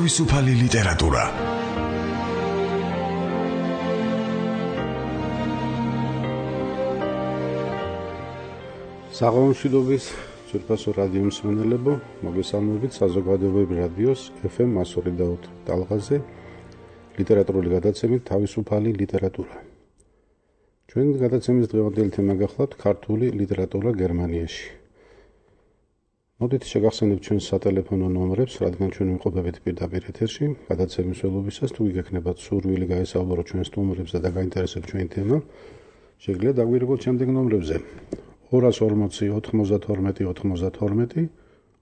თავისუფალი ლიტერატურა. საღამომშვიდობის ძვირფასო რადიო მსმენელებო, მოგესალმებით საზოგადოებრივი რადიოს FM 102 ტალღაზე ლიტერატურული გადაცემით თავისუფალი ლიტერატურა. ჩვენი გადაცემის დღევანდელი თემა გახლავთ ქართული ლიტერატურა გერმანიაში. მოდით შეგახსენებთ ჩვენს სატელეფონო ნომრებს, რადგან ჩვენ ვიმყოფებით პირდაპირ ეთერში. გადაცემის ველობისას თუ გიგექნებათ სურვილი გაესაუბაროთ ჩვენს სტუმრებს და გაინტერესებთ ჩვენი თემა, შეგიძლიათ დაგვირეკოთ შემდეგ ნომრებზე 240 92 92,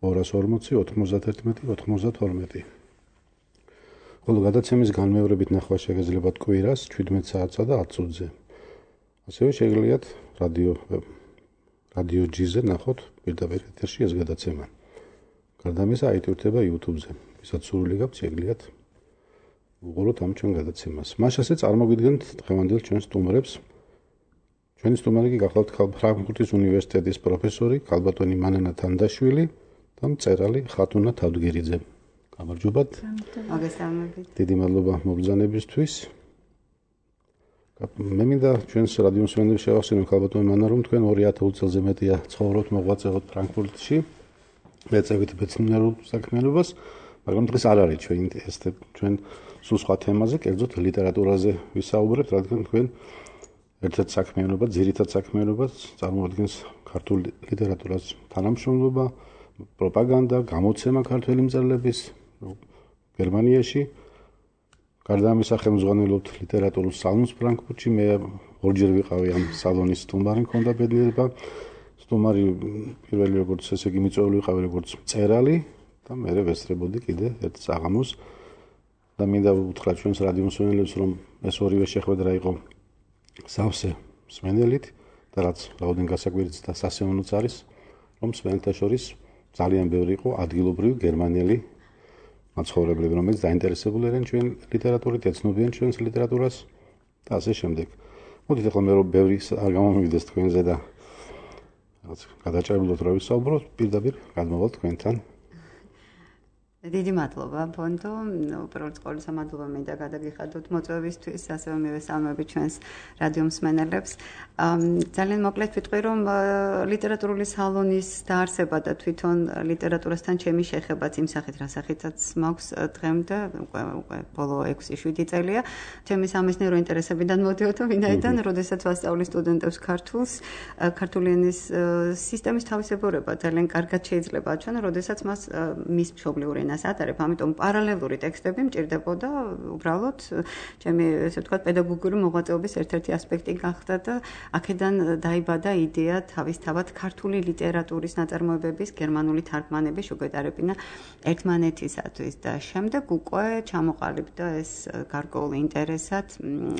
240 91 92. ხოლო გადაცემის განმეორებით ნახვა შეგიძლიათ კვირას 17 საათსა და 10 წუთზე. ასევე შეგიძლიათ რადიო G-ზე ნახოთ პირდაპირ ეთერში ეს გადაცემა. გარდა ამისა აიტვირთება YouTube-ზე. ვისაც სურვილი გაქვთ, შეგიძლიათ უყუროთ ამ ჩვენ გადაცემას. მას ასე წარმოგიდგენთ დღევანდელ ჩვენს სტუმრებს. ჩვენი სტუმარი კი გახლავთ ფრანკფურტის უნივერსიტეტის პროფესორი ქალბატონი მანანა თანდაშვილი და მწერალი ხათუნა თავდგირიძე. გამარჯობათ. მოგესალმებით. დიდი მადლობა მობრძანებისთვის. მე მინდა ჩვენს რადიო მსმენელებს შევახსენო ქალბატონი მანანა, რომ თქვენ 2000 წელზე მეტია ცხოვრობთ, მოღვაწეობთ ფრანკფურტში. მეწევით მეცნიერულ საქმიანობას, მაგრამ დღეს არ არის ჩვენ სულ სხვა თემაზე, კერძოდ ლიტერატურაზე ვისაუბრებთ, რადგან თქვენ ერთ-ერთ საქმიანობა, ძირითად საქმიანობას წარმოადგენს ქართულ ლიტერატურას თანამშრომლობა, პროპაგანდა, გამოცემა ქართველი მწერლების გერმანიაში. გარდა ამისა ხელმძღვანელობთ ლიტერატურულ სალონს ფრანკფურტში. მე ორჯერ ვიყავი ამ სალონის სტუმარი, მქონდა ბედნიერება. სტუმარი პირველი როგორც ესე იგი მიწვეული ვიყავი როგორც მწერალი და მე ვესწრებოდი კიდე ერთ საღამოს და მინდა უთხრა ჩვენს რადიო მსმენელებს, რომ ეს ორივე შეხვედრა იყო სავსე მსმენელით და რაც რაოდენ გასაკვირიც და სასიამოვნოც არის, რომ მსმენელთა შორის ძალიან ბევრი იყო ადგილობრივი გერმანელი მაცხოვრებლები, რომელიც დაინტერესებული არიან ჩვენ ლიტერატურით, ეცნობიან ჩვენს ლიტერატურას და ასე შემდეგ. მოდით ახლა მე რომ ბევრი არ გამომივიდეს თქვენზე და რაღაც გადაჭრებულოთ რა ვისაუბროთ, პირდაპირ გადმოვალთ თქვენთან. დიდი მადლობა, ბონდო. უბრალოდ ყოველისა მადლობა მინდა გადაგიხადოთ მოწვევისთვის, ასევე მივესალმები ჩვენს რადიო მსმენელებს. ძალიან მოკლედ ვიტყვი, რომ ლიტერატურული სალონის დაარსება და თვითონ ლიტერატურასთან ჩემი შეხებაც იმ სახით, რა სახითაც მაქვს დღემდე, უკვე ბოლო 6-7 წელია. ჩემი სამეცნიერო ინტერესებიდან მოდიოდა, ვინაიდან, როდესაც ვასწავლი სტუდენტებს ქართული ენის სისტემის თავისებურება ძალიან კარგად შეიძლება აჩვენო, როდესაც მას მის მშობლიურ ენას ატარებ, ამიტომ პარალელური ტექსტები მჭირდებოდა უბრალოდ ჩემი ესე ვთქვათ პედაგოგიური მოღვაწეობის ერთ-ერთი ასპექტი გახდა და აქედან დაიბადა იდეა თავისთავად ქართული ლიტერატურის ნაწარმოებების გერმანული თარგმანების შუქედარებინა ერთმანეთისათვის და შემდეგ უკვე ჩამოყალიბდა ეს გარკვეული ინტერესად,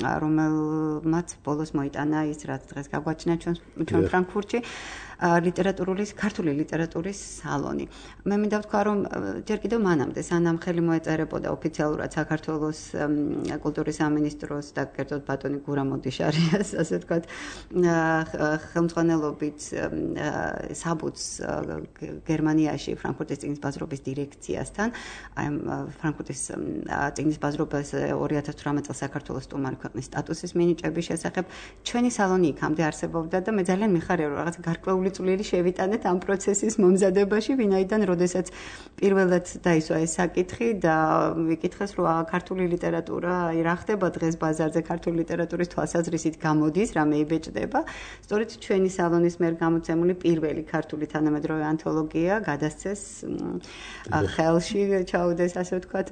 რომელმაც ბოლოს მოიტანა ის, რაც დღეს გაგვაჩნია ჩვენ ფრანკფურტში. ქართული ლიტერატურის სალონი. მე მინდა ვთქვა, რომ ჯერ კიდევ მანამდე, სანამ ხელი მოეწერებოდა ოფიციალურად საქართველოს კულტურის სამინისტროს და კერძოდ ბატონი გურამ ოდიშარიას, ასე ვთქვათ, ხელმძღვანელობით საბუთს გერმანიაში ფრანკფურტის წიგნის ბაზრობის დირექციასთან, აი ფრანკფურტის წიგნის ბაზრობას 2018 წელს საქართველოს სტუმარი ქვეყნის სტატუსის მინიჭების შესახებ ჩვენი სალონი იქამდე არსებობდა და მე ძალიან მიხარია, რომ რაღაც გარკვეული წვლილი შევიტანეთ ამ პროცესის მომზადებაში, ვინაიდან როდესაც პირველად დაისვა ეს საკითხი და ვიკითხეს, რომ ქართული ლიტერატურა, აი რა ხდება დღეს ბაზარზე ქართული ლიტერატურის თვალსაზრისით გამოდის, რამე იბეჭდება. სწორედ ჩვენი სალონის მიერ გამოცემული პირველი ქართული თანამედროვე ანთოლოგია გადასცეს ხელში, ჩაუდეს ასე ვთქვათ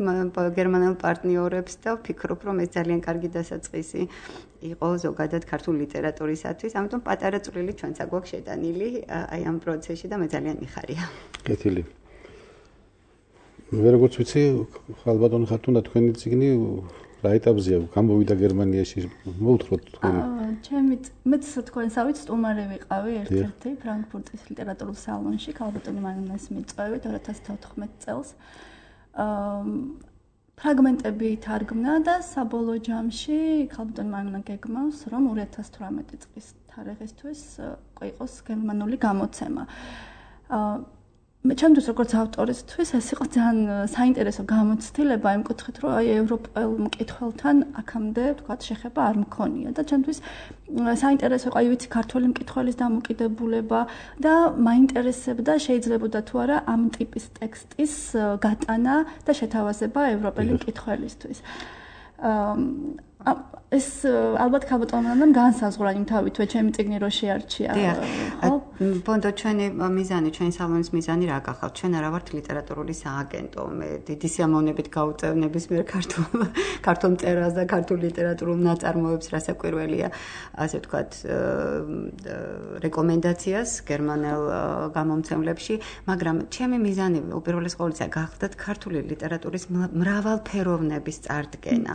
გერმანელ პარტნიორებს და ვფიქრობ, რომ ეს ძალიან კარგი დასაწყისი იყო ზოგადად ქართული ლიტერატურისათვის, ამიტომ პატარა წვლილი ჩვენც აგვაქვს შეტანილი აი ამ პროცესში და მე ძალიან მიხარია. კეთილი. მე როგორც ვიცი, ხალბატონი ხათუნა თქვენი წიგნი რა ეტაპზეა? გამოვიდა გერმანიაში, მოუთხროთ თქვენ. მეც თქვენსავით სტუმარი ვიყავი ერთ-ერთი ფრანკფურტის ლიტერატურულ სალონში, ხალბატონი მანანას მიწვევით 2014 წელს. ფრაგმენტები თარგმნა და საბოლოო ჯამში ხალბატონი მანანა გეგმავს, რომ 2018 წლის თარიღისთვის იყოს გერმანული გამოცემა. ჩემთვის როგორც ავტორისთვის ეს იყო ძალიან საინტერესო გამოცდილება იმ კუთხით, რომ აი ევროპელ მკითხველთან აქამდე ვთქვათ შეხება არ მქონია და ჩემთვის საინტერესო იყო აი ვიცი ქართველი მკითხველის დამოკიდებულება და მაინტერესებდა შეიძლებოდა თუ არა ამ ტიპის ტექსტის გატანა და შეთავაზება ევროპელი მკითხველისთვის. ეს ალბათ ქალბატონებთან განსაზღვრა იმ თავითვე ჩემი წიგნი რო შეარჩია. ხო? ბონდო ჩვენი მიზანი, ჩვენი სალონის მიზანი რა გახავთ? ჩვენ არა ვართ ლიტერატურული სააგენტო. მე დიდი სიამოვნებით გავუწევ ნებისმიერ ქართულ მწერალს და ქართულ ლიტერატურულ ნაწარმოებს, რასაკვირველია, ასე ვთქვათ, რეკომენდაციას გერმანელ გამომცემლებში, მაგრამ ჩემი მიზანი უპირველეს ყოვლისა გახდათ ქართული ლიტერატურის მრავალფეროვნების წარდგენა.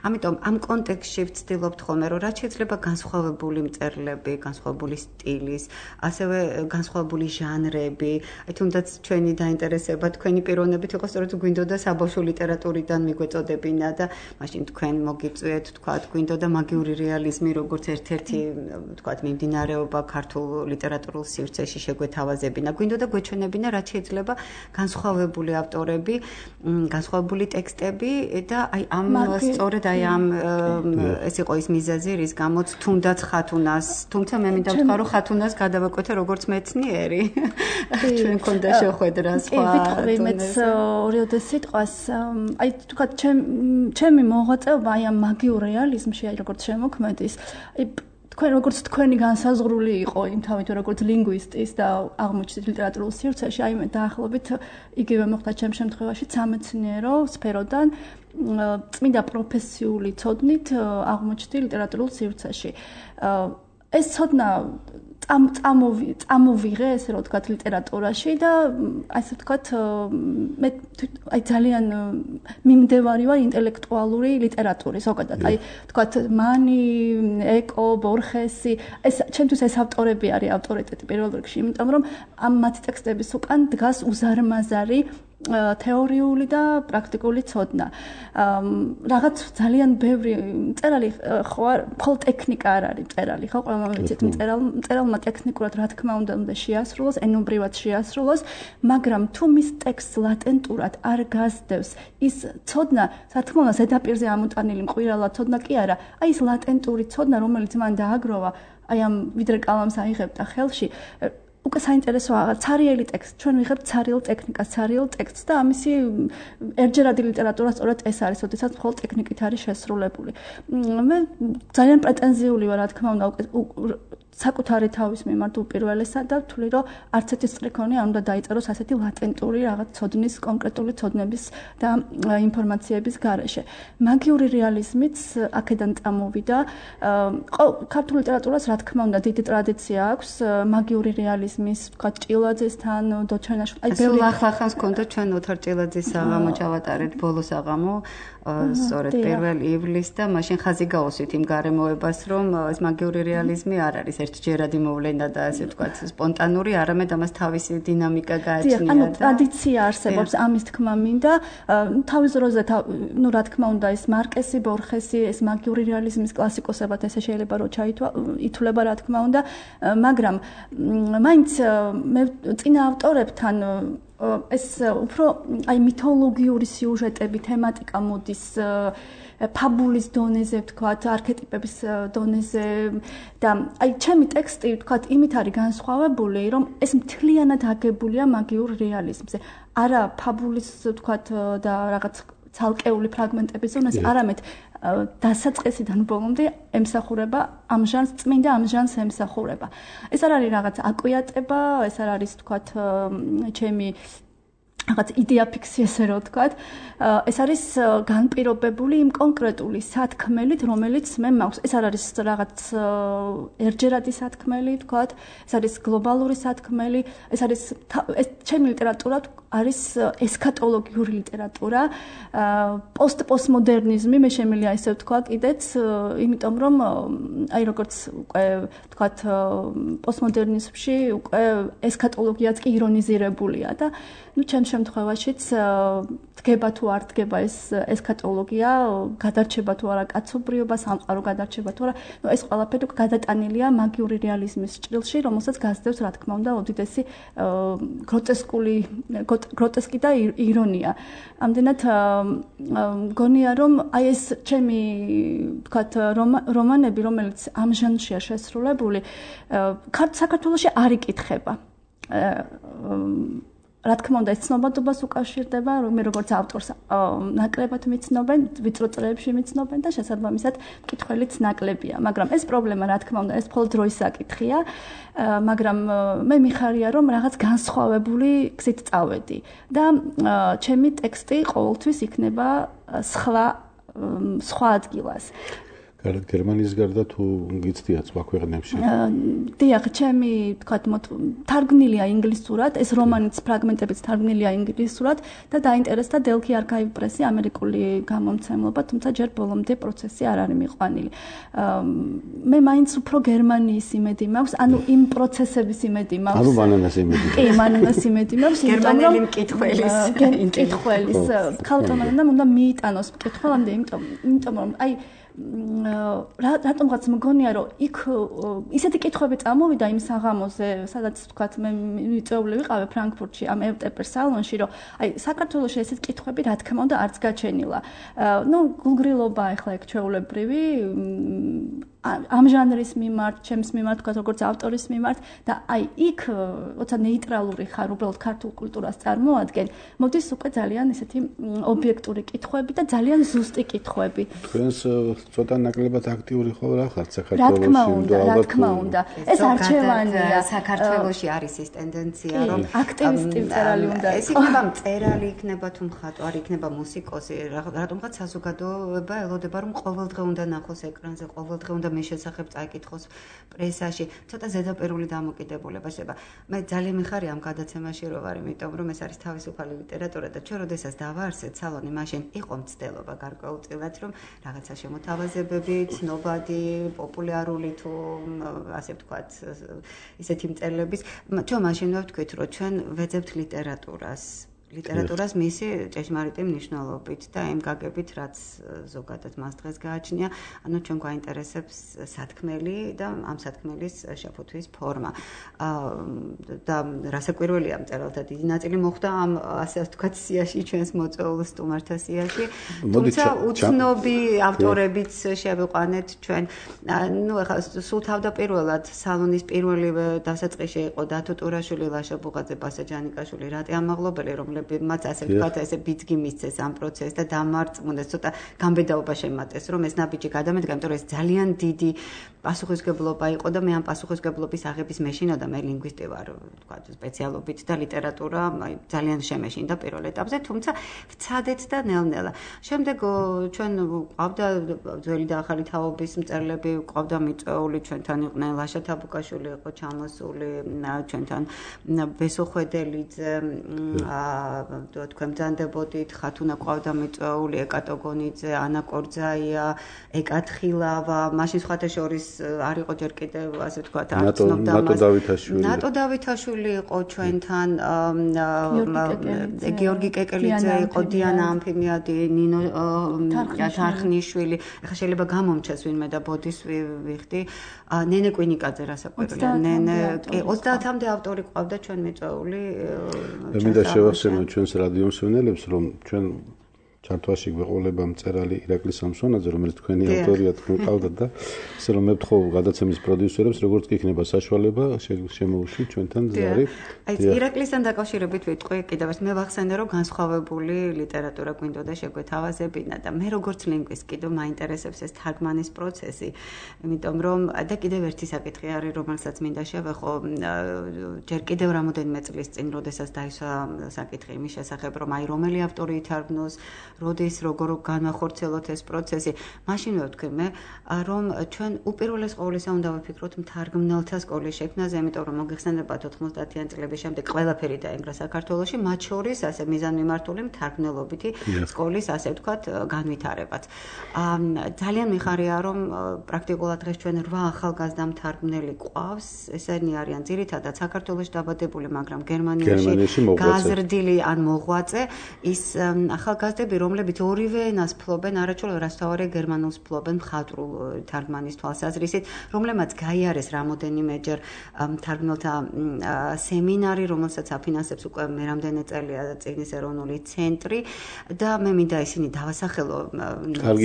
ამიტომ ამ კონტექსტში ვცდილობთ ხოლმე, რომ რაც შეიძლება განსხვავებული მწერლები, განსხვავებული სტილის, ასევე განსხვავებული ჟანრები, აი თუნდაც ჩვენი დაინტერესება, თქვენი პიროვნებით იყო სწორედ გვინდოდა საბავშვო ლიტერატურიდან მიგვეწოდებინა და მაშინ თქვენ მოგიწვიეთ, თქვათ, გვინდოდა მაგიური რეალიზმი, როგორც ერთ-ერთი, თქვათ, მიმდინარეობა ქართულ ლიტერატურულ სივრცეში შეგვეთავაზებინა. გვინდოდა გვეჩვენებინა, რაც შეიძლება განსხვავებული ავტორები, განსხვავებული ტექსტები და აი ამ სწორედ აი ამ ეს იყო ის მიზეზი, რის გამოც თუნდაც ხათუნას, თუმცა მე მინდა ვთქვა, რომ ხათუნას გადავაკვეთე როგორც მეცნიერი. ჩვენ მქონდა შეხვედრა სხვა. ვიტყვი მეც ორიოდე სიტყვას, აი თქვა ჩემი მოღვაწეობა აი ამ მაგიურ რეალიზმში, აი როგორც შემოქმედის, აი თქვენ როგორც თქვენი განსაზღვრული იყო იმ თავით როგორც ლინგვისტის და აღმოჩნდა ლიტერატურულ სივრცეში, აი მე დაახლოებით იგივე მოხდა ჩემ შემთხვევაში სამეცნიერო სფეროდან წმინდა პროფესიული ცოდნით აღმოჩნდა ლიტერატურულ სივრცეში. ეს ცოდნა წამოვიღე, ესე რომ ვთქვათ, ლიტერატურაში და ასე ვთქვათ, მე აი ძალიან მიმდევარი ვარ ინტელექტუალური ლიტერატურის, ზოგადად. აი ვთქვათ, მანი, ეკო, ბორხესი, ეს ჩემთვის ეს ავტორები არის ავტორიტეტი პირველ რიგში, იმიტომ რომ ამ მათი ტექსტების უკან დგას უზარმაზარი თეორიული და პრაქტიკული ცოდნა. რაღაც ძალიან ბევრი მწერალი ხო არ, მხოლოდ ტექნიკა არ არის მწერალი, ხო? ყველამ ვიცით მწერალმა ტექნიკურად რა თქმა უნდა შეასრულოს, ენობრივად შეასრულოს, მაგრამ თუ მის ტექსტს ლატენტურად არ გასდევს ის ცოდნა, რა თქმა უნდა ზედაპირზე ამოტანილი მყვირალა ცოდნა კი არა, აი ეს ლატენტური ცოდნა, რომელიც მან დააგროვა, აი ამ ვიდრე კალამს აიღებდა ხელში, უკვე საინტერესო ცარიელი ტექსტი. ჩვენ ვიღებთ ცარიელ ტექნიკას, ცარიელ ტექსტს და ამისი ერთჯერადი ლიტერატურა სწორედ ეს არის, როდესაც მხოლოდ ტექნიკით არის შესრულებული. მე ძალიან პრეტენზიული ვარ, რა თქმა უნდა, საკუთარი თავის მიმართ უპირველესად და ვთვლი, რომ არც ერთი სტრიქონი არ უნდა დაიწეროს ასეთი ლატენტური რაღაც ცოდნის, კონკრეტული ცოდნების და ინფორმაციების გარეშე. მაგიური რეალიზმიც აქედან წამოვიდა. ქართულ ლიტერატურას, რა თქმა უნდა, დიდი ტრადიცია აქვს მაგიური რეალიზმის, ვთქვათ, ჭილაძესთან, დოჩენაშვილთან. აი, ბევრი ახლა-ახლა მქონდა ჩვენ ოთარ ჭილაძის საღამო ჩავატარეთ, ბოლო საღამო, სწორედ 1 ივლისს და მაშინ ხაზი გაუსვით იმ გარემოებას, რომ ეს მაგიური რეალიზმი არ არის ერთჯერადი მოვლენა და ასე ვთქვათ, სპონტანური, არამედ ამას თავისი დინამიკა გააჩნია. ანუ ტრადიცია არსებობს, ამის თქმა მინდა. თავის დროზე, ნუ რა თქმა უნდა, ეს მარკესი, ბორხესი, ეს მაგიური რეალიზმის კლასიკოსებად ესე შეიძლება რომ ითვლება, რა თქმა უნდა, მაგრამ მაინც მე წინა ავტორებთან ეს უფრო აი მითოლოგიური სიუჟეტები, თემატიკა მოდის ფაბულის დონეზე, ვთქვათ, არქეტიპების დონეზე და აი ჩემი ტექსტი, ვთქვათ, იმით არის განსხვავებული, რომ ეს მთლიანად აგებულია მაგიურ რეალიზმზე. არა ფაბულის, ვთქვათ, და რაღაც ცალკეული ფრაგმენტების ზონაზე, არამედ დასაწყისიდან ბოლომდე ემსახურება ამ ჟანრს, წმინდა ამ ჟანრს ემსახურება. ეს არ არის რაღაც აკვიატება, ეს არ არის, ვთქვათ, ჩემი რაღაც იდეა ფიქსი, ესე რომ ვთქვათ, ეს არის განპირობებული იმ კონკრეტული სათქმელით, რომელიც მე მაქვს. ეს არ არის რაღაც ერთჯერადი სათქმელი, ვთქვათ, ეს არის გლობალური სათქმელი, ეს არის ჩემი ლიტერატურა არის ესქატოლოგიური ლიტერატურა, პოსტმოდერნიზმი, მე შემიძლია ესე ვთქვა კიდეც, იმიტომ რომ აი როგორც უკვე ვთქვათ, პოსტმოდერნიზმში უკვე ესქატოლოგიაც კი ირონიზირებულია და ნუ ჩემ შემთხვევაშიც დგება თუ არ დგება ეს ესქატოლოგია, გადარჩება თუ არა კაცობრიობა, სამყარო გადარჩება თუ არა, ეს ყველაფერი გადატანილია მაგიური რეალიზმის ჭრილში, რომელსაც გასდევს, რა თქმა უნდა, უდიდესი გროტესკი და ირონია. ამდენად მგონია, რომ აი ეს ჩემი ვთქვათ რომანები, რომელიც ამ ჟანრშია შესრულებული, საქართველოში არ იკითხება. რა თქმა უნდა, ეს ცნობადობას უკავშირდება, მე როგორც ავტორს ნაკლებად მიცნობენ, ვიწრო წრეებში მიცნობენ და შესაბამისად მკითხველიც ნაკლებია, მაგრამ ეს პრობლემა, რა თქმა უნდა, ეს მხოლოდ დროის საკითხია, მაგრამ მე მიხარია, რომ რაღაც განსხვავებული გზით წავედი და ჩემი ტექსტი ყოველთვის იქნება სხვა ადგილას. გერმანიის გარდა თუ გიცდია სხვა ქვეყნებში? დიახ, ჩემი თქვათ თარგმნილია ინგლისურად, ეს რომანიც ფრაგმენტებიც თარგმნილია ინგლისურად და დაინტერესდა Delphi Archive Press-ი ამერიკული გამომცემლობა, თუმცა ჯერ ბოლომდე პროცესი არ არის მიყვანილი. მე მაინც უფრო გერმანიის იმედი მაქვს, ანუ იმ პროცესების იმედი მაქვს. ანუ მანანას იმედი. კი, მანანას იმედი მაქვს, გერმანელი მკითხველის. ქალტონადამ უნდა მიიტანოს მკითხველამდე, იმიტომ რომ აი რატომღაც მგონია, რომ იქ ისეთი კითხვები წამოვიდა იმ საღამოზე, სადაც თქვათ მე მიწვეული ვიყავე ფრანკფურტში, ამ ევტეპერ სალონში, რომ აი საქართველოში ესეთ კითხვები რა თქმა უნდა არც გაჩენილა. გულგრილობა ახლა ეგ ჩვეულებრივი ამ ჟანრის მიმართ, ჩემს მიმართ, თქვათ როგორც ავტორის მიმართ და აი იქ როცა ნეიტრალური ხარ, უბრალოდ ქართულ კულტურას წარმოადგენ, მოდის უკვე ძალიან ესეთი ობიექტური კითხვები და ძალიან ზუსტი კითხვები. თქვენს ცოტა ნაკლებად აქტიური ხო რა ხართ საქართველოში? რა თქმა უნდა. ეს არჩევანია. საქართველოში არის ეს ტენდენცია, რომ აქტივისტი მწერალი უნდა ეს იქნება მწერალი, იქნება თუ მხატვარი, იქნება მუსიკოსი, რატომღაც საზოგადოება ელოდება, რომ ყოველდღე უნდა ნახოს ეკრანზე, ყოველდღე უნდა მის შესახებ წაიკითხოს პრესაში, ცოტა ზედაპირული დამოკიდებულება შეიძლება. მე ძალიან მიხარია ამ გადაცემაში რომ ვარ, იმიტომ რომ ეს არის თავისუფალი ლიტერატურა და ჩვენ როდესაც დავაარსეთ სალონი, მაშინ იყო მცდელობა გარკვეულწილად, რომ რაღაცა შემოთავაზებები, ცნობადი, პოპულარული თუ ასე ვთქვათ, ისეთი მწერლების, ჩვენ მაშინ ვთქვით, რომ ჩვენ ვეძებთ ლიტერატურას მისი ჭეშმარიტი მნიშვნელობით და იმ გაგებით, რაც ზოგადად მას დღეს გააჩნია, ანუ ჩვენ გვაინტერესებს სათქმელი და ამ სათქმელის შეფუთვის ფორმა. და რასაკვირველია, მწერალთა დიდი ნაწილი მოხვდა ამ ასე ვთქვათ სიაში, ჩვენს მოწვეულ სტუმართა სიაში. თუმცა უცნობი ავტორებიც შევიყვანეთ ჩვენ. ეხლა სულ თავდაპირველად სალონის პირველივე დასაწყისში იყო დათო ტურაშვილი, ლაშა ბუღაძე, ბასა ჯანიკაშვილი, რატი ამაღლობელი, რომლებმაც ასე ვთქვათ, ესე ბიძგი მისცეს ამ პროცესს და დამარწმუნეს, ცოტა გამბედაობა შემატეს, რომ ეს ნაბიჯი გადამედგა, იმიტომ რომ ეს ძალიან დიდი პასუხისმგებლობა იყო და მე ამ პასუხისმგებლობის აღების მეშინოდა, მე ლინგვისტი ვარ, ვთქვათ, სპეციალობით და ლიტერატურა ძალიან შემეშინდა პირველ ეტაპზე, თუმცა ვცადეთ და ნელ-ნელა. შემდეგ ჩვენ ყავდა ძველი და ახალი თაობის მწერლები, ყავდა მიწვეული, ჩვენთან იყვნენ ლაშა თაბუკაშვილი იყო ჩამოსული, ჩვენთან ბესო ხვედელიძე, თქვენ ბრძანდებოდით, ხათუნა ყავდა მიწვეული, ეკატო გონიძე, ანა კორძაია, ეკათხილავა, მაშინ სხვათა შორის არ იყო ჯერ კიდევ ასე ვთქვათ, არ ცნობდა მას. ნატო დავითაშვილი იყო ჩვენთან, გიორგი კეკელიძე იყო, დიანა ამფიმიადი, ნინო თარხნიშვილი. ეხლა შეიძლება გამომჩეს ვინმე და ბოდის ვიხდი. ნენე კვინიკაძე რასაკვირველია. ნენე 30-მდე ავტორი ყავდა ჩვენ მიწვეული. მე მინდა შევახსენო ჩვენს რადიო მსმენელებს, რომ ჩვენ ჩართვაში გვეყოლება მწერალი ირაკლი სამსონაძე, რომელიც თქვენი ავტორია, თქვენ ყავდათ და ისე რომ მე ვთხოვ გადაცემის პროდიუსერებს, როგორც კი იქნება საშუალება, შემოუშვით ჩვენთან ზარი. აი ირაკლისთან დაკავშირებით ვიტყვი კიდევ ერთ, მე ვახსენე, რომ განსხვავებული ლიტერატურა გვინდოდა შეგვეთავაზებინა და მე როგორც ლინგვისტი კიდევ მაინტერესებს ეს თარგმანის პროცესი, იმიტომ რომ და კიდევ ერთი საკითხი არის, რომელსაც მინდა შევეხო, ჯერ კიდევ რამოდენიმე წლის წინ, როდესაც დაისვა საკითხი იმის შესახებ, რომ აი რომელი ავტორი ითარგმნოს, როდის როგორ განახორციელოთ ეს პროცესი, მაშინვე ვთქვი მე, რომ ჩვენ უპირველეს ყოვლისა უნდა ვიფიქროთ მთარგმნელთა სკოლის შექმნაზე, იმიტომ რომ მოგეხსენებათ 90-იან წლების შემდეგ ყველაფერი დაინგრა საქართველოში, მათ შორის ასე მიზანმიმართული მთარგმნელობითი სკოლის, ასე ვთქვათ, განვითარებაც. ძალიან მიხარია, რომ პრაქტიკულად დღეს ჩვენ 8 ახალგაზრდა მთარგმნელი ყავს, ესენი არიან ძირითადად საქართველოში დაბადებული, მაგრამ გერმანიაში გაზრდილი ან მოღვაწე ის ახალგაზრდები, რომლებიც ორივე ენას ფლობენ, არაჩვეულებრივ რასთავარია გერმანულს ფლობენ მხატვრულ თარგმანის თვალსაზრისით, რომლებმაც გაიარეს რამოდენიმეჯერ მთარგმნელთა სემინარი, რომელსაც აფინანსებს უკვე მე რამდენი წელია წიგნის ეროვნული ცენტრი და მე მინდა ისინი დავასახელო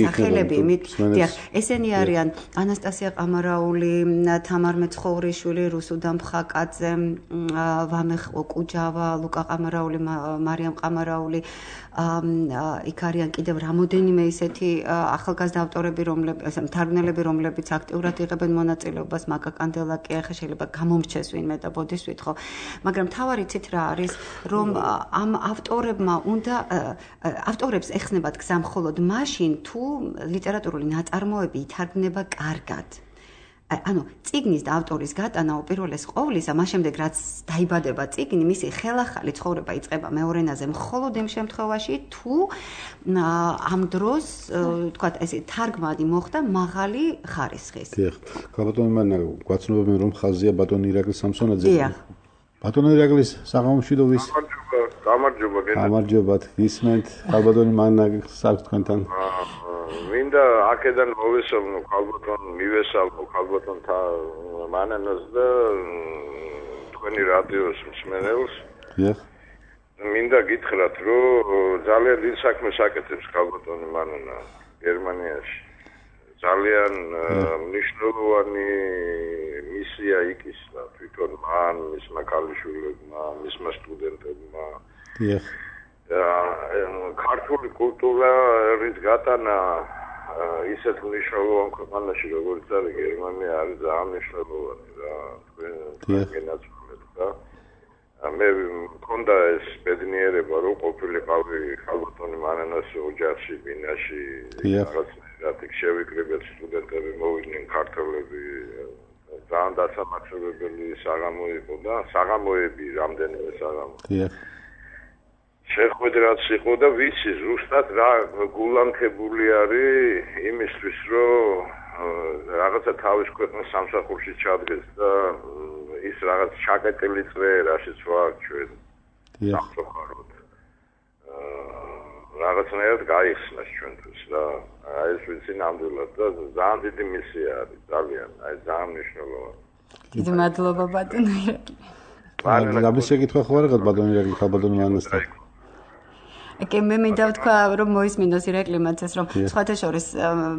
სახელები, ესენი არიან ანასტასია ყამარაული, თამარ მეცხოვრიშვილი, რუსუდან მხაკაძე, ვამეხ კუჯავა, ლუკა ყამარაული, მარიამ ყამარაული, იქ არიან კიდევ რამოდენიმე ისეთი ახალგაზრდა ავტორები, მთარგმნელები, რომლებიც აქტიურად იღებენ მონაწილეობას, მაგა კანდელაკი, ახლა შეიძლება გამომრჩეს ვინმე და ბოდის ვითხოვ. მაგრამ თავარი ცით რა არის, რომ ამ ავტორებს ეხსნებათ გზა მხოლოდ მაშინ, თუ ლიტერატურული ნაწარმოები ითარგმნება კარგად. ანუ წიგნის და ავტორის გატანა უპირველეს ყოვლისა, მას შემდეგ რაც დაიბადება წიგნი, მისი ხელახალი ცხოვრება იწყება მეორე ენაზე მხოლოდ იმ შემთხვევაში, თუ ამ დროს, თქვათ, ესე თარგმანი მოხდა მაღალი ხარისხის. დიახ. ბატონო მანა გვაცნობენ რომ ხაზია ბატონი ირაკლი სამსონაძე. ბატონო ირაკლის საღამოშვიდობის. გამარჯობა. ისმენთ ბატონი მანა საქმე თქვენთან. მინდა აქედან მოვესალმო ხალბატონ მივესალმო ხალბატონთა მანანას და თქვენი რადიოს მსმენელს. დიახ. მინდა გითხრათ, რომ ძალიან დიდ საქმეს აკეთებს ხალბატონი მანანა გერმანიაში. ძალიან მნიშვნელოვანი მისია იქისლა თვითონ მან, მისმა ქალიშვილებმა, მისმა სტუდენტებმა. დიახ. ქართული კულტურის გატანა ისეთ მნიშვნელოვან ქვეყანაში, როგორც არის გერმანია, არის ძალიან მნიშვნელოვანი რა. თქვენ გენაცვლეთ და მე მქონდა ეს ბედნიერება, რომ ყოფილიყავი ხალბატონი მანანას ოჯახში, ბინაში, რაღაცნაირად შევიკრიბეთ სტუდენტები, მოვიდნენ ქართველები. ძალიან დასამახსოვრებელი საღამო იყო და საღამოები რამდენიმე საღამო. შეხვედრაც იყო და ვიცი ზუსტად რა გულანქებული არის იმისთვის, რომ რაღაცა თავის ქვეყნის სამსახურში ჩადგეს და ის რაღაც ჩაკეტილი წრე რაშიც ვარ ჩვენ სამწუხაროდ. რაღაცნაირად გაიხსნას ჩვენთვის და ეს ვიცი ნამდვილად და ძალიან დიდი მისია არის, ძალიან მნიშვნელოვანი. დიდი მადლობა ბატონო ირაკლი. გამის შეკითხვა ხო არა ბატონო ირაკლი ხალბატონი მანასთან? კი მე მინდა ვთქვა რომ მოისმინოს ირაკლიმაც ეს რომ სხვათა შორის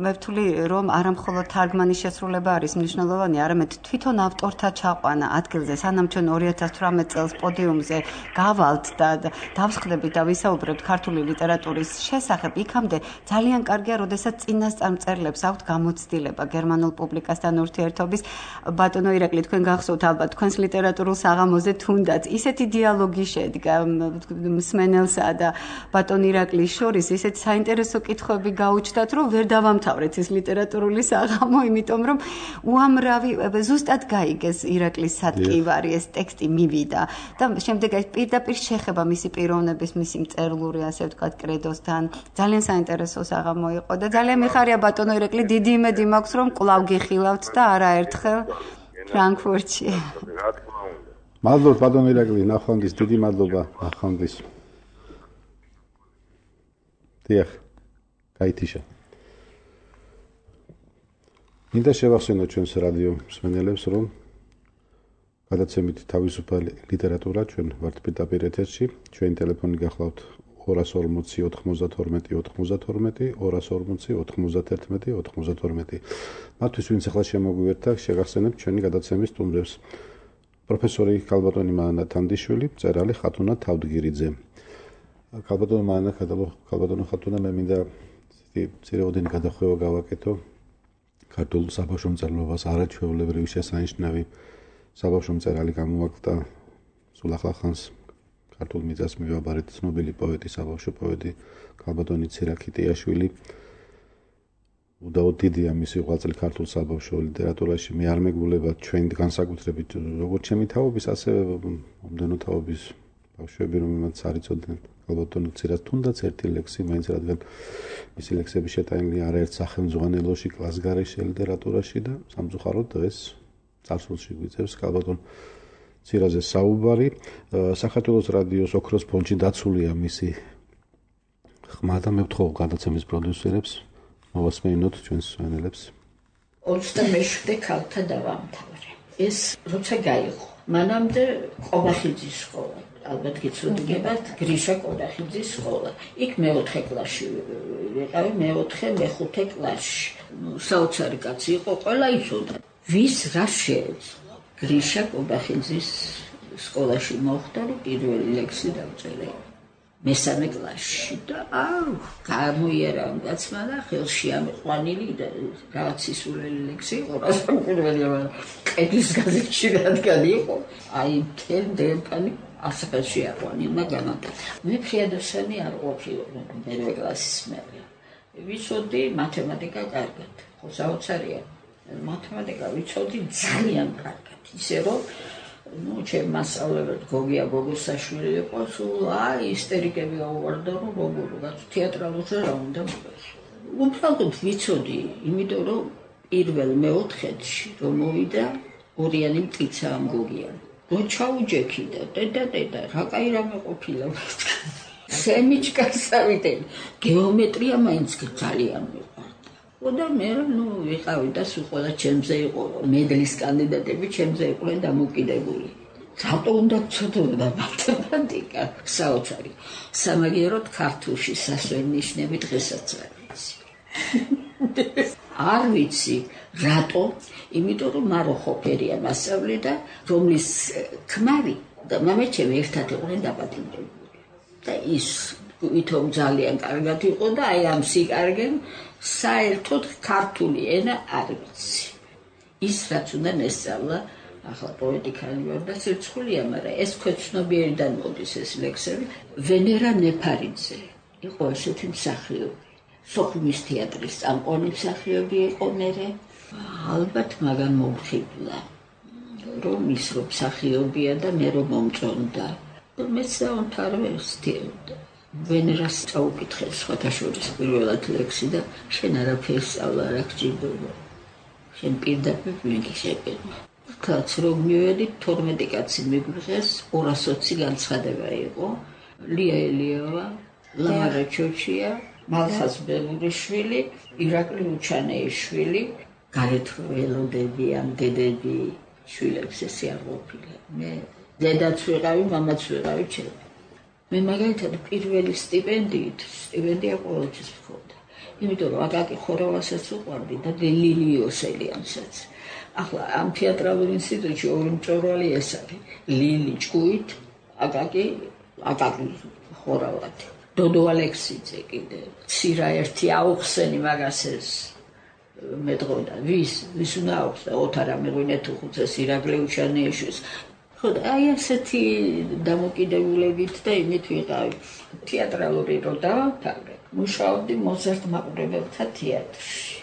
მე ვთვლი რომ არა მხოლოდ თარგმანის შესრულება არის მნიშვნელოვანი, არამედ თვითონ ავტორთა ჩაყვანა ადგილზე, სანამ ჩვენ 2018 წელს პოდიუმზე გავალთ და დავსხდებით და ვისაუბრებთ ქართული ლიტერატურის შესახებ, იქამდე ძალიან კარგია, როდესაც წინასწარმწერლებს აქვთ გამოცდილება გერმანულ პუბლიკასთან ურთიერთობის. ბატონო ირაკლი, თქვენ გახსოვთ ალბათ თქვენს ლიტერატურულ საღამოზე თუნდაც ისეთი დიალოგი შედგა მსმენელსა და ბატონ ირაკლის შორის ისეთ საინტერესო კითხვები გაუჩნდათ, რომ ვერ დავამთავრეთ ეს ლიტერატურული საღამო, იმიტომ რომ უამრავი ზუსტად გაიგეს ირაკლის სატკივარი, ეს ტექსტი მივიდა და შემდეგ ეს პირდაპირ შეხება მისი პიროვნების, მისი მწერლური, ასე ვთქვათ, კრედოსთან. ძალიან საინტერესო საღამო იყო და ძალიან მიხარია ბატონო ირაკლი, დიდი იმედი მაქვს, რომ კვლავ გიხილავთ და არაერთხელ ფრანკფურტში. მადლობთ ბატონო ირაკლი, ნახვამდის, დიდი მადლობა, ნახვამდის. დიახ, გაითიშა. მინდა შევახსენოთ ჩვენს რადიო მსმენელებს, რომ გადაცემით თავისუფალი ლიტერატურა ჩვენ ვართ პირდაპირ ეთერში. ჩვენი ტელეფონი გახლავთ 240 92 92, 240 91 92. მათთვის ვინც ახლა შემოგვიერთდა, შეგახსენებთ ჩვენი გადაცემის სტუმრებს. პროფესორი ხალბატონი მანა თანდიშვილი, მწერალი ხათუნა თავდგირიძე. ხალბატონო მანა, ხალბატონო ხათუნა, მე მინდა ცირეოდენი გადახვევა გავაკეთო ქართულ საბავშვო მწერლობას არაჩვეულებრივი შესანიშნავი საბავშვო მწერალი გამოვაკლდა სულ ახლა ხანს ქართულ მიწას მივაბარეთ ცნობილი პოეტი, საბავშვო პოეტი ქალბატონი ცირაქიტიაშვილი. უდაოდ დიდია მისი ღვაწლი ქართულ საბავშვო ლიტერატურაში. მე არ მეგულება ჩვენ განსაკუთრებით როგორც ჩემი თაობის, ასევე მომდენო თაობის ბავშვები, რომელმაც არ იცოდნენ ქალბატონი ცირას თუნდაც ერთი ლექსი, მაინც რადგან მისი ლექსები შეტანილი არაერთ სახელმძღვანელოში, კლასგარეშე ლიტერატურაში და სამწუხაროდ დღეს წარსულში გვიწევს ქალბატონ ცირაზე საუბარი. საქართველოს რადიოს ოქროს ფონდში დაცულია მისი ხმა და მე ვთხოვ გადაცემის პროდიუსერებს მოვასმენინოთ ჩვენს მსმენელებს. 27 ქალთა დავამთავრე. ეს როცა გაიღო, მანამდე ყობახიძის სკოლა, ალბათ გიცნობთ, გრიშა ყობახიძის სკოლა. იქ მეოთხე კლასში ვიყავი, მეხუთე კლასში. საოცარი კაცი იყო, ყველა იცოდა. ვის რა შეეძლო? გრიშა ყობახიძის სკოლაში მოხდა, რომ პირველი ლექსი დავწერე. მესამე კლასში და გამოიერა კაცმა და ხელში ამყვანილი და რაღაც ისულელი ლექსი იყო, პირველი ყედის გაზეთში რადგან იყო, მთელ დერეფანი ასაკაში აყვანილმა განათება. მე ფრიადოსანი არ ყოფილი მერვე კლასის მერე. ვიცოდი მათემატიკა კარგად, ხო საოცარია. მათემატიკა ვიცოდი ძალიან კარგად, ისე რომ ჩემ მასწავლებლად გოგია გოგოსაშვილი იყო, სულ ისტერიკები აუვარდა, რომ როგორ თეატრალურზე რა უნდა მოხდეს. უბრალოდ ვიცოდი, იმიტომ რომ პირველ მეოთხეში რომ მოვიდა ორიანი მტკიცა ამ გოგიამ. რო ჩაუჯექი და დედა, რა კაი რამე ყოფილა. სემიჩკას ავიდე. გეომეტრია მაინც ძალიან მიყვარდა. და მე ვიყავი და სულ ყველა ჩემზე იყო, მედლის კანდიდატები ჩემზე იყვნენ დამოკიდებული. რატო უნდა ვცოდოდა მათემატიკა? საოცარი. სამაგიეროდ ქართულში სასვენნიშნები დღესაც არ ვიცი. არ ვიცი რატო, იმიტომ რომ მარო ხოფერია მასწავლე და რომლის ქმარი და მამაჩემი ერთად იყვნენ დაპატიმრებული. და ის ვითომ ძალიან კარგად იყო და აი ამ სიკარგემ საერთოდ ქართული ენა არ ვიცი. ის რაც უნდა ესწავლა, ახლა პოეტიკალი ვარ და სირცხულია, მაგრამ ეს ქვეცნობიერიდან მოდის ეს ლექსები. ვენერა ნეფარიძე იყო ესეთი მსახიობი. სოხუმის თეატრის წამყვანი მსახიობი იყო მერე. ალბათ მაგან მომხიბლა, რომ ის რომ მსახიობია და მე რომ მომწონდა. მეც დავამთავრე ვენერას წაუკითხე სხვათა შორის პირველად ლექსი და შენ არაფერს სწავლა არ გჭირდება. შენ პირდაპირ მიგიშებენ. კაც რომ მივედი 12 კაცი მიგვიღეს, 220 განცხადება იყო. ლია ელიავა, ლამარა ჩოჩია, მალხაზ ბელურიშვილი, ირაკლი უჩანეიშვილი, გარეთ ველოდები ამ დედები შვილებს ესე არ ყოფილა. მე დედაც ვიყავი, მამაც ვიყავი ჩემი. მე მაგალითად პირველი სტიპენდია ყოველთვის ვქონდა. იმიტომ რომ აკაკი ხორავასაც უყვარდი და ლილი იოსელიანსაც. ახლა ამ თეატრალურ ინსტიტუტში ორი მწვერვალი ეს არის. ლილი ჭკუით, აკაკი ხორავადი. დოდო ალექსიძე კიდე. ცირა ერთი აუხსენი მაგას ეს მეტყოდა. ვის უნდა აუხსნა? ოთარ ამეღვინეთო ხუცეს ირაკლი უჩანეიშვილს. ხო და აი ასეთი დამოკიდებულებით და იმით ვიყავი. თეატრალური რო დავამთავრე, მუშაობდი მოზარდ მაყურებელთა თეატრში.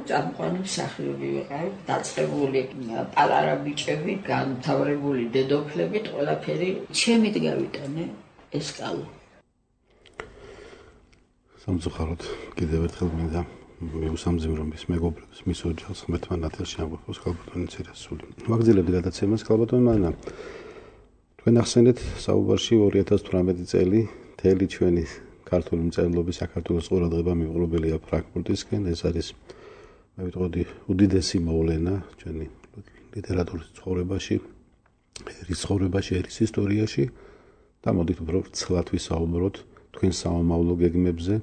წამყვანი მსახიობი ვიყავი, დაწყებული პალარა ბიჭები, განთავრებული დედოფლებით, ყველაფერი ჩემით გავიტანე ეს კალო. სამწუხაროდ კიდევ ერთხელ მინდა მიუსამძიმრო მის მეგობრებს, მის ოჯახს ღმერთმა ნათელში ამყოფოს ქალბატონი ცირას სული. ვაგრძელებთ გადაცემას ქალბატონი მანამ. თქვენ ახსენეთ საუბარში 2018 წელი მთელი ჩვენი ქართული მწერლობის საქართველოს ყურადღება მიუღრობელია ფრანკფურტისკენ. ეს არის მე ვიტყოდი უდიდესი მოვლენა ჩვენი ლიტერატურის ცხოვრებაში, ერის ცხოვრებაში, ერის ისტორიაში და მოდით უფრო ვრცლად ვისაუბროთ თქვენ სამომავლო გეგმებზე.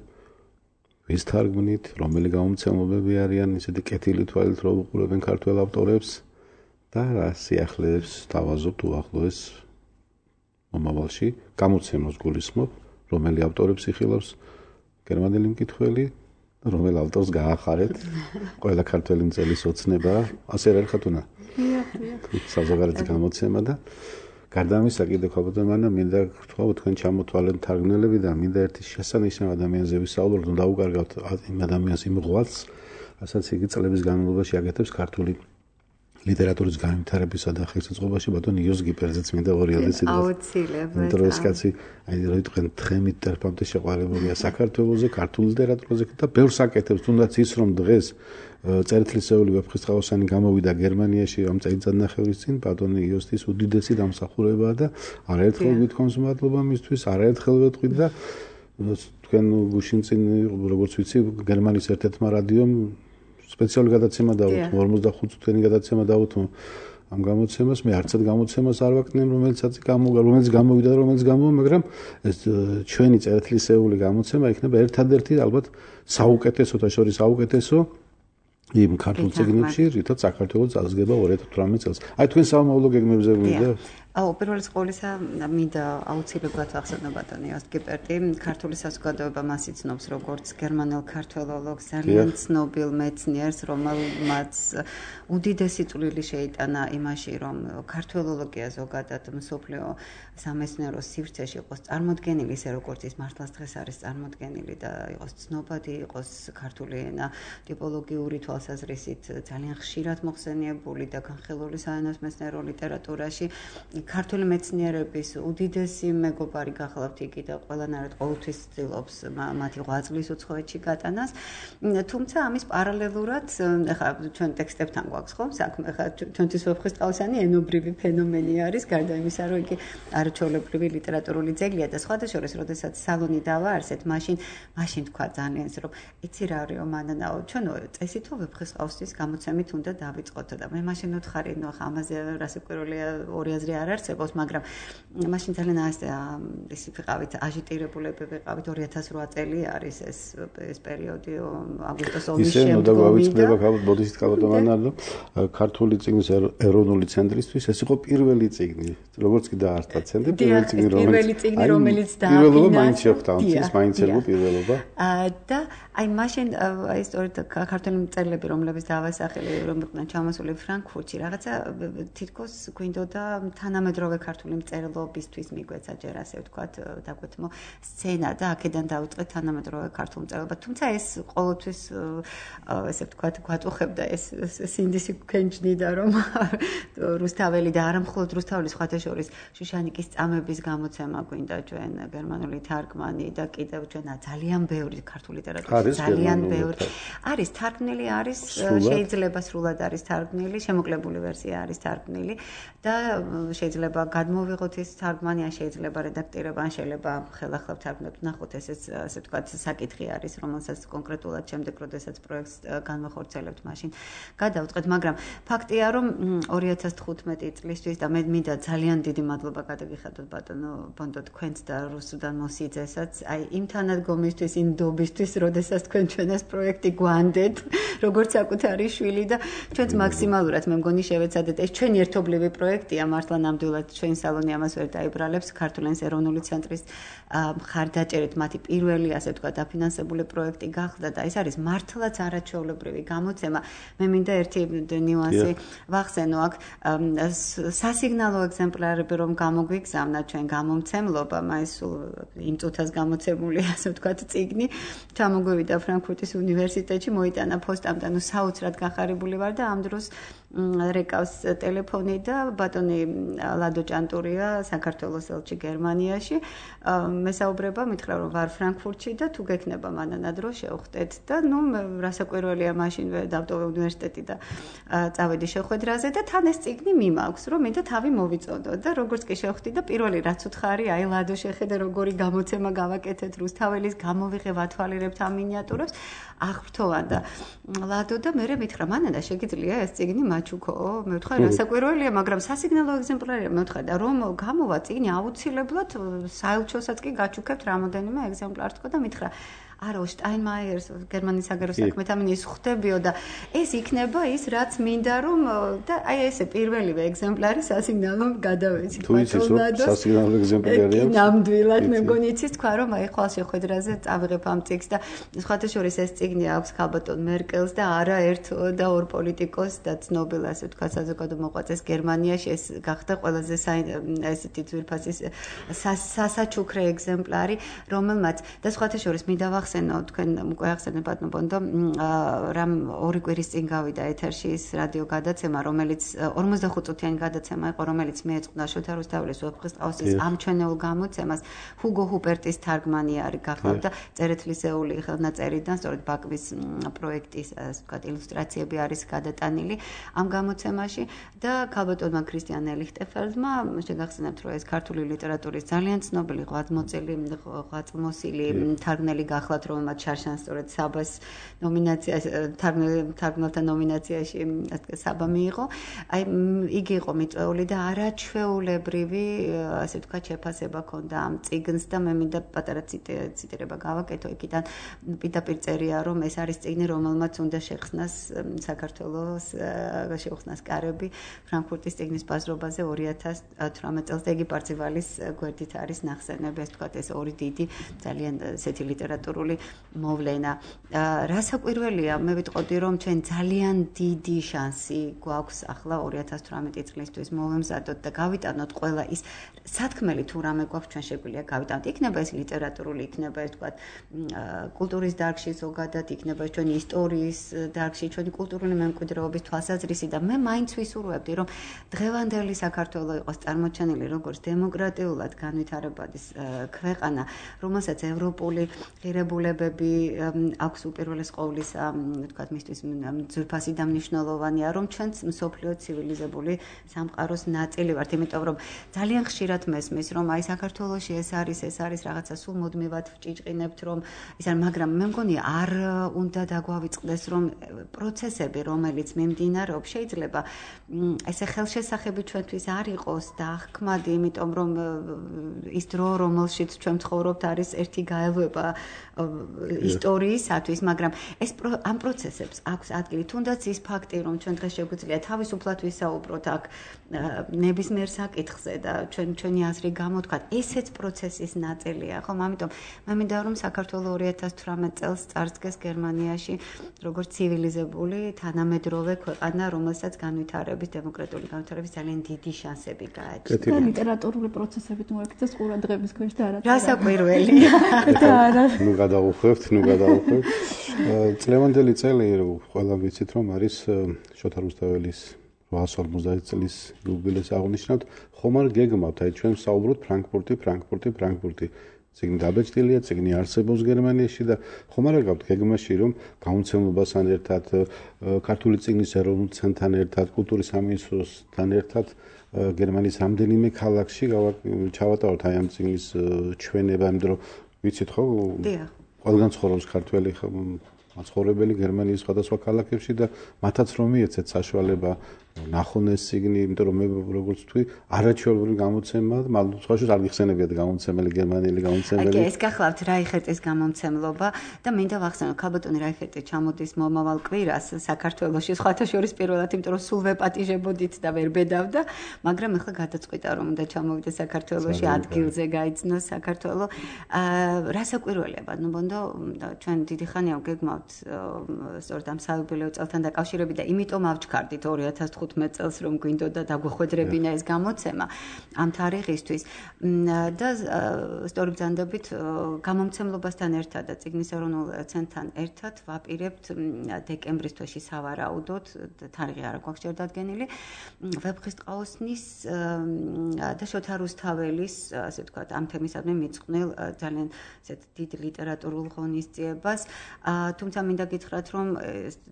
ვის თარგმნით, რომელი გამომცემლობები არიან ისეთი კეთილი თვალით რო უყურებენ ქართველ ავტორებს და რა სიახლეებს დავაზობთ უახლოეს მომავალში გამოცემოს გულისხმობ, რომელი ავტორებს იხილავს გერმანელი მკითხველი და რომელ ავტორს გაახარეთ ყველა ქართველი მწერლის ოცნება, ასე რა ხათუნა. საზოგადოების გამოცემა და გარდა ამისა კიდევ ხალბატონო მინდა გთხოვ თქვენ ჩამოთვალეთ თარგმნელები და მინდა ერთი შესანიშნავ ადამიანზე ვისაუბროთ, რომ დაუკარგავთ იმ ადამიანის იმ ღვაწლს, რასაც იგი წლების განმავლობაში აკეთებს ქართული ლიტერატურის განვითარებისა და ხელშეწყობაში ბატონ იოს გიპერძეც მინდა 2000 წელს. აუცილებლად. დროის კაცი, აი რო თქვენ თხემით ტერფამდე შეყვარებულია საქართველოზე, ქართულ ლიტერატურაზე და ბევრს აკეთებს, თუნდაც ის რომ დღეს წერტილისეული ვეფხისტყაოსანი გამოვიდა გერმანიაში ამ წელიწადნახევრის წინ ბატონი იოსტის უდიდესი დამსახურებაა და არაერთხელ გვითხოვს მადლობა მისთვის, არაერთხელ ვეთყვით და თქვენ გუშინ წინ როგორც ვიცი გერმანიის ერთ-ერთმა რადიომ სპეციალური გადაცემა დაუთმო 45 წუთიანი გადაცემა დაუთმო ამ გამოცემას მე არცად გამოცემას არ ვაკნემ რომელიც გამოვიდა რომელიც გამოვა მაგრამ ეს ჩვენი წერტილისეული გამოცემა იქნება ერთადერთი ალბათ საუკეთესო და შორის საუკეთესო იმ ქართულ წიგნებში რითაც საქართველოს წარსდგება 2018 წელს აი თქვენ სამომავლო გეგმებზე მინდა პირველ ყოვლისა მინდა აუცილებლად ვახსენო ბატონი იოს გიპერტი ქართული საზოგადოება მას იცნობს როგორც გერმანელ ქართველოლოგს ძალიან ცნობილ მეცნიერს რომელმაც უდიდესი წვლილი შეიტანა იმაში რომ ქართველოლოგია ზოგადად მსოფლიო სამეცნიერო სივრცეში იყოს წარმოდგენილი ისე როგორც ის მართლაც დღეს არის წარმოდგენილი და იყოს ცნობადი იყოს ქართული ენა ტიპოლოგიური თვალსაზრისით ძალიან ხშირად მოხსენიებული და განხილული საენოს მეცნიერო ლიტერატურაში ქართული მეცნიერების უდიდესი მეგობარი გახლავთ იგი და ყველანაირად ყოველთვის ცდილობს მათი ღვაწლის უცხოეთში გატანას. თუმცა ამის პარალელურად, ეხლა ჩვენ ტექსტებთან გვაქვს ხო საქმე, ეხლა ჩვენთვის ვეფხისტყაოსანი ენობრივი ფენომენი არის, გარდა იმისა, რომ იგი არაჩვეულებრივი ლიტერატურული ძეგლია და სხვადასხვა, როდესაც სალონი დავაარსეთ, მაშინ თქვა ძალიან ის, რომ იცი რა არისო მანანაო, ჩვენო წესითო ვეფხისტყაოსის გამოცემით უნდა დავიწყოთ და მე მაშინ ვთქარი, ნუ ახლა ამაზე რასაკვირველია ორი აზრი არ არსებობს, მაგრამ მაშინ ძალიან ის ვიყავით აჟიტირებულები ვიყავით 2008 წელი არის ეს პერიოდი აგვისტოს ომის შემდგომი. ისე ნუ დავიწყდება ბოდიშით ქალბატონო ქართული წიგნის ეროვნული ცენტრისთვის ეს იყო პირველი წიგნი, როგორც კი დაარსდა ცენტრი, პირველი წიგნი რომელიც დააფინა. პირველობა მაინც შეხვდა, მაინც ერგო პირველობა. და აი მაშინ აი სწორედ ქართული მწერლები რომლებიც დავასახელე რომ იყვნენ ჩამოსული ფრანკფურტში რაღაცა თითქოს გვინდოდა თანამედროვე ქართული მწერლობისთვის მიგვეცა ჯერ ასე ვთქვათ დაგვეთმო სცენა და აქედან დავიწყეთ თანამედროვე ქართულ მწერლობა თუმცა ეს ყოველთვის ესე ვთქვათ გვაწუხებდა ეს სინდისი ქენჯნიდა რომ რუსთაველი და არა მხოლოდ რუსთაველის სხვადასხვა შუშანიკის წამების გამოცემა გვინდა ჩვენ გერმანული თარგმანი და კიდევ ჩვენ ძალიან ბევრი ქართული ლიტერატურა ძალიან ბევრი არის თარგმნილი არის შეიძლება სრულად არის თარგმნილი შემოკლებული ვერსია არის თარგმნილი და შეიძლება გადმოვიღოთ ეს თარგმანი ან შეიძლება რედაქტირება ან შეიძლება ხელახლა თარგმნებთ ნახოთ ესეც ასე ვთქვათ საკითხი არის რომელსაც კონკრეტულად შემდეგ როდესაც პროექტს განვახორციელებთ მაშინ გადავწყეთ მაგრამ ფაქტია რომ 2015 წლისთვის და მე მინდა ძალიან დიდი მადლობა გადაგიხადოთ ბატონო ბონდო თქვენც და რუსუდან მოსიძესაც აი იმ თანადგომისთვის იმ დობისთვის როდესაც თქვენ ჩვენ ეს პროექტი გვანდეთ როგორც საკუთარი შვილი და ჩვენც მაქსიმალურად მე მგონი შევეცადეთ ეს ჩვენი ერთობლივი პროექტია მართლა ნამდვილად ჩვენ სალონი ამას ვერ დაიბრალებს ქართულენის ეროვნული ცენტრის მხარდაჭერით მათი პირველი ასე ვთქვათ დაფინანსებული პროექტი გახდა და ეს არის მართლაც არაჩვეულებრივი გამოცემა მე მინდა ერთი ნიუანსი ვახსენო აქ სასიგნალო ეგზემპლარები რომ გამოგვიგზავნა ჩვენ გამომცემლობამ აი სულ იმ წუთას გამოცემული ასე ვთქვათ წიგნი ჩამოგვივიდა ფრანკფურტის უნივერსიტეტში მოიტანა ფოსტამ და ნუ საოცრად გახარებული ვარ და ამ დროს რეკავს ტელეფონი და ბატონი ლადო ჭანტურია საქართველოს ელჩი გერმანიაში მესაუბრება მითხრა რომ ვარ ფრანკფურტში და თუ გექნება მანანა დრო შევხვდეთ და ნუ რასაკვირველია მაშინვე დავტოვე უნივერსიტეტი და წავედი შეხვედრაზე და თან ეს წიგნი მიმაქვს რომ მინდა თავი მოვიწოდო და როგორც კი შევხვდი და პირველი რაც უთხარი აი ლადო შეხედე როგორი გამოცემა გავაკეთეთ რუსთაველის გამოვიღე ვათვალირებთ ამ მინიატურებს აღფრთოვან და ლადო და მე მითხრა მანანა შეგიძლია ეს წიგნი მაჩუქო მე ვთქვა რასაკვირველია მაგრამ სასიგნალო ეგზემპლარია მე ვთქვა და რომ გამოვა წიგნი აუცილებლად საელჩოსაც კი გაჩუქებთ რამოდენიმე ეგზემპლარს თქო და მითხრა არა შტაინმაიერს გერმანიის საგარეო საქმეთა მინისტრს ხვდებიო და ეს იქნება ის რაც მინდა რომ და აი ესე პირველივე ეგზემპლარი სასიგნალო გადავეცით ბატონადოს სასიგნალო ეგზემპლარია ნამდვილად მე მგონი იცის თქვა რომ აი ხვალ შეხვედრაზე წავიღებ ამ წიგნს და სხვათა შორის ეს წიგნი აქვს ქალბატონ მერკელს და არა ერთ და ორ პოლიტიკოსს და ცნობილ ასე თქვა საზოგადო მოღვაწეს გერმანიაში ეს გახდა ყველაზე ესეთი ძვირფასი სასაჩუქრე ეგზემპლარი რომელმაც და სხვათა შორის მინდა ვახსენო თქვენ უკვე ახსენეთ ბატონო ბონდო რამ ორი კვირის წინ გავიდა ეთერში ის რადიო გადაცემა რომელიც 45 წუთიანი გადაცემა იყო რომელიც მიეწყდა შოთა რუსთაველის ვეფხისტყაოსნის ამ ჩვენეულ გამოცემას ჰუგო ჰუპერტის თარგმანი არის გახლავდა წერეთლისეული ხელნაწერიდან სწორედ ბაკვის პროექტის ასე ვთქვათ ილუსტრაციები არის გადატანილი ამ გამოცემაში და ქალბატონმა ქრისტიან ელიხტეფელდმა შეგახსენებთ რომ ეს ქართული ლიტერატურის ძალიან ცნობილი ღვაწლმოსილი თარგმნელი გახლავთ რომელმაც შარშან სწორედ საბას ნომინაციაში თარგმნელთა ნომინაციაში საბა მიიღო აი იგი იყო მიწვეული და არაჩვეულებრივი ასე ვთქვათ შეფასება ჰქონდა ამ წიგნს და მე მინდა პატარა ციტირება გავაკეთო იქიდან პირდაპირ წერია რომ ეს არის წიგნი რომელმაც უნდა შეხსნას საქართველოს შეუხსნას კარები ფრანკფურტის წიგნის ბაზრობაზე 2018 წელს და იგი პარცივალის გვერდით არის ნახსენები ეს ვთქვათ ეს ორი დიდი ძალიან ესეთი ლიტერატურული მოვლენა რასაკვირველია მე ვიტყოდი რომ ჩვენ ძალიან დიდი შანსი გვაქვს ახლა 2018 წლისთვის მოვემზადოთ და გავიტანოთ ყველა ის სათქმელი თუ რამე გვაქვს ჩვენ შეგვიძლია გავიტანოთ იქნება ეს ლიტერატურული იქნება ეს ვთქვათ კულტურის დარგში ზოგადად იქნება ეს ჩვენი ისტორიის დარგში ჩვენი კულტურული მემკვიდრეობის თვალსაზრისი და მე მაინც ვისურვებდი რომ დღევანდელი საქართველო იყოს წარმოჩენილი როგორც დემოკრატიულად განვითარებადი ქვეყანა რომელსაც ევროპული ღირებულებები აქვს უპირველეს ყოვლისა ვთქვათ მისთვის ძვირფასი და მნიშვნელოვანია რომ ჩვენც მსოფლიო ცივილიზებული სამყაროს ნაწილი ვართ იმიტომ რომ ძალიან ხშირად მესმის რომ აი საქართველოში ეს არის რაღაცა სულ მუდმივად ვჭიჭყინებთ რომ ის არ მაგრამ მე მგონი არ უნდა დაგვავიწყდეს რომ პროცესები რომელიც მიმდინარეობს შეიძლება ესე ხელშესახები ჩვენთვის არ იყოს და აღქმადი იმიტომ რომ ის დრო რომელშიც ჩვენ ცხოვრობთ არის ერთი გაელვება ისტორიისათვის მაგრამ ეს ამ პროცესებს აქვს ადგილი თუნდაც ის ფაქტი რომ ჩვენ დღეს შეგვიძლია თავისუფლად ვისაუბროთ აქ ნებისმიერ საკითხზე და ჩვენი აზრი გამოთქვათ ესეც პროცესის ნაწილია ხომ ამიტომ მე მინდა რომ საქართველოს 2018 წელს წარსდგეს გერმანიაში როგორც ცივილიზებული თანამედროვე ქვეყანა რომელსაც განვითარების დემოკრატიული განვითარების ძალიან დიდი შანსები გააჩნია და ლიტერატურული პროცესებით მოექცეს ყურადღების ქვეშ და არა რასაკვირველია და არა ნუ გადავუხვევთ წლევანდელი წელი ყველა ვიცით რომ არის შოთა რუსთაველის 850 წლის იუბილეს აღნიშნავთ ხომ არ გეგმავთ აი ჩვენ საუბრობთ ფრანკფურტი წიგნი დაბეჭდილია, წიგნი არსებობს გერმანიაში და ხომ არ გაქვთ გეგმაში რომ გამოცემობასთან ერთად, ქართული წიგნის ეროვნულ ცენტრთან ერთად, კულტურის სამინისტროსთან ერთად გერმანიის რამდენიმე ქალაქში ჩავატაროთ აი ამ წიგნის ჩვენება, იმიტომ რომ ვიცით ხო? დიახ. ყველგან ცხოვრობს ქართველი მაცხოვრებელი გერმანიის სხვადასხვა ქალაქებში და მათაც რომ მიეცეთ საშუალება ნახონ ეს წიგნი, იმიტომ რომ მე როგორც თქვი, არაჩვეულებრივი გამოცემაა, მაგრამ სხვა შორის არ გიხსენებიათ გამოცემელი გერმანელი გამოცემელი. აი, ეს გახლავთ რაიხერტის გამოცემლობა და მინდა ვახსენო, ქალბატონი რაიხერტი ჩამოდის მომავალ კვირას საქართველოში, სხვათა შორის პირველად, იმიტომ რომ სულ ვეპატიჟებოდით და ვერ ბედავდა, მაგრამ ახლა გადაწყვიტა რომ უნდა ჩამოვიდეს საქართველოში, ადგილზე გაიცნოს საქართველო. რასაკვირველია, ბატონო ბონდო, ჩვენ დიდი ხანია ვგეგმავთ სწორედ ამ საიუბილეო წელთან დაკავშირებით და იმიტომ ავჩქარდით 2015 წელს რომ გვინდოდა დაგვეხვედრებინა ეს გამოცემა ამ თარიღისთვის და სწორი ბრძანდებით გამომცემლობასთან ერთად და წიგნის ეროვნულ ცენტრთან ერთად ვაპირებთ დეკემბრის თვეში სავარაუდოდ თარიღი არ აქვს ჯერ დადგენილი ვეფხისტყაოსნის და შოთა რუსთაველის ასე ვთქვათ ამ თემისადმი მიწყვნილ ძალიან ესეთ დიდ ლიტერატურულ ღონისძიებას თუმცა მინდა გითხრათ რომ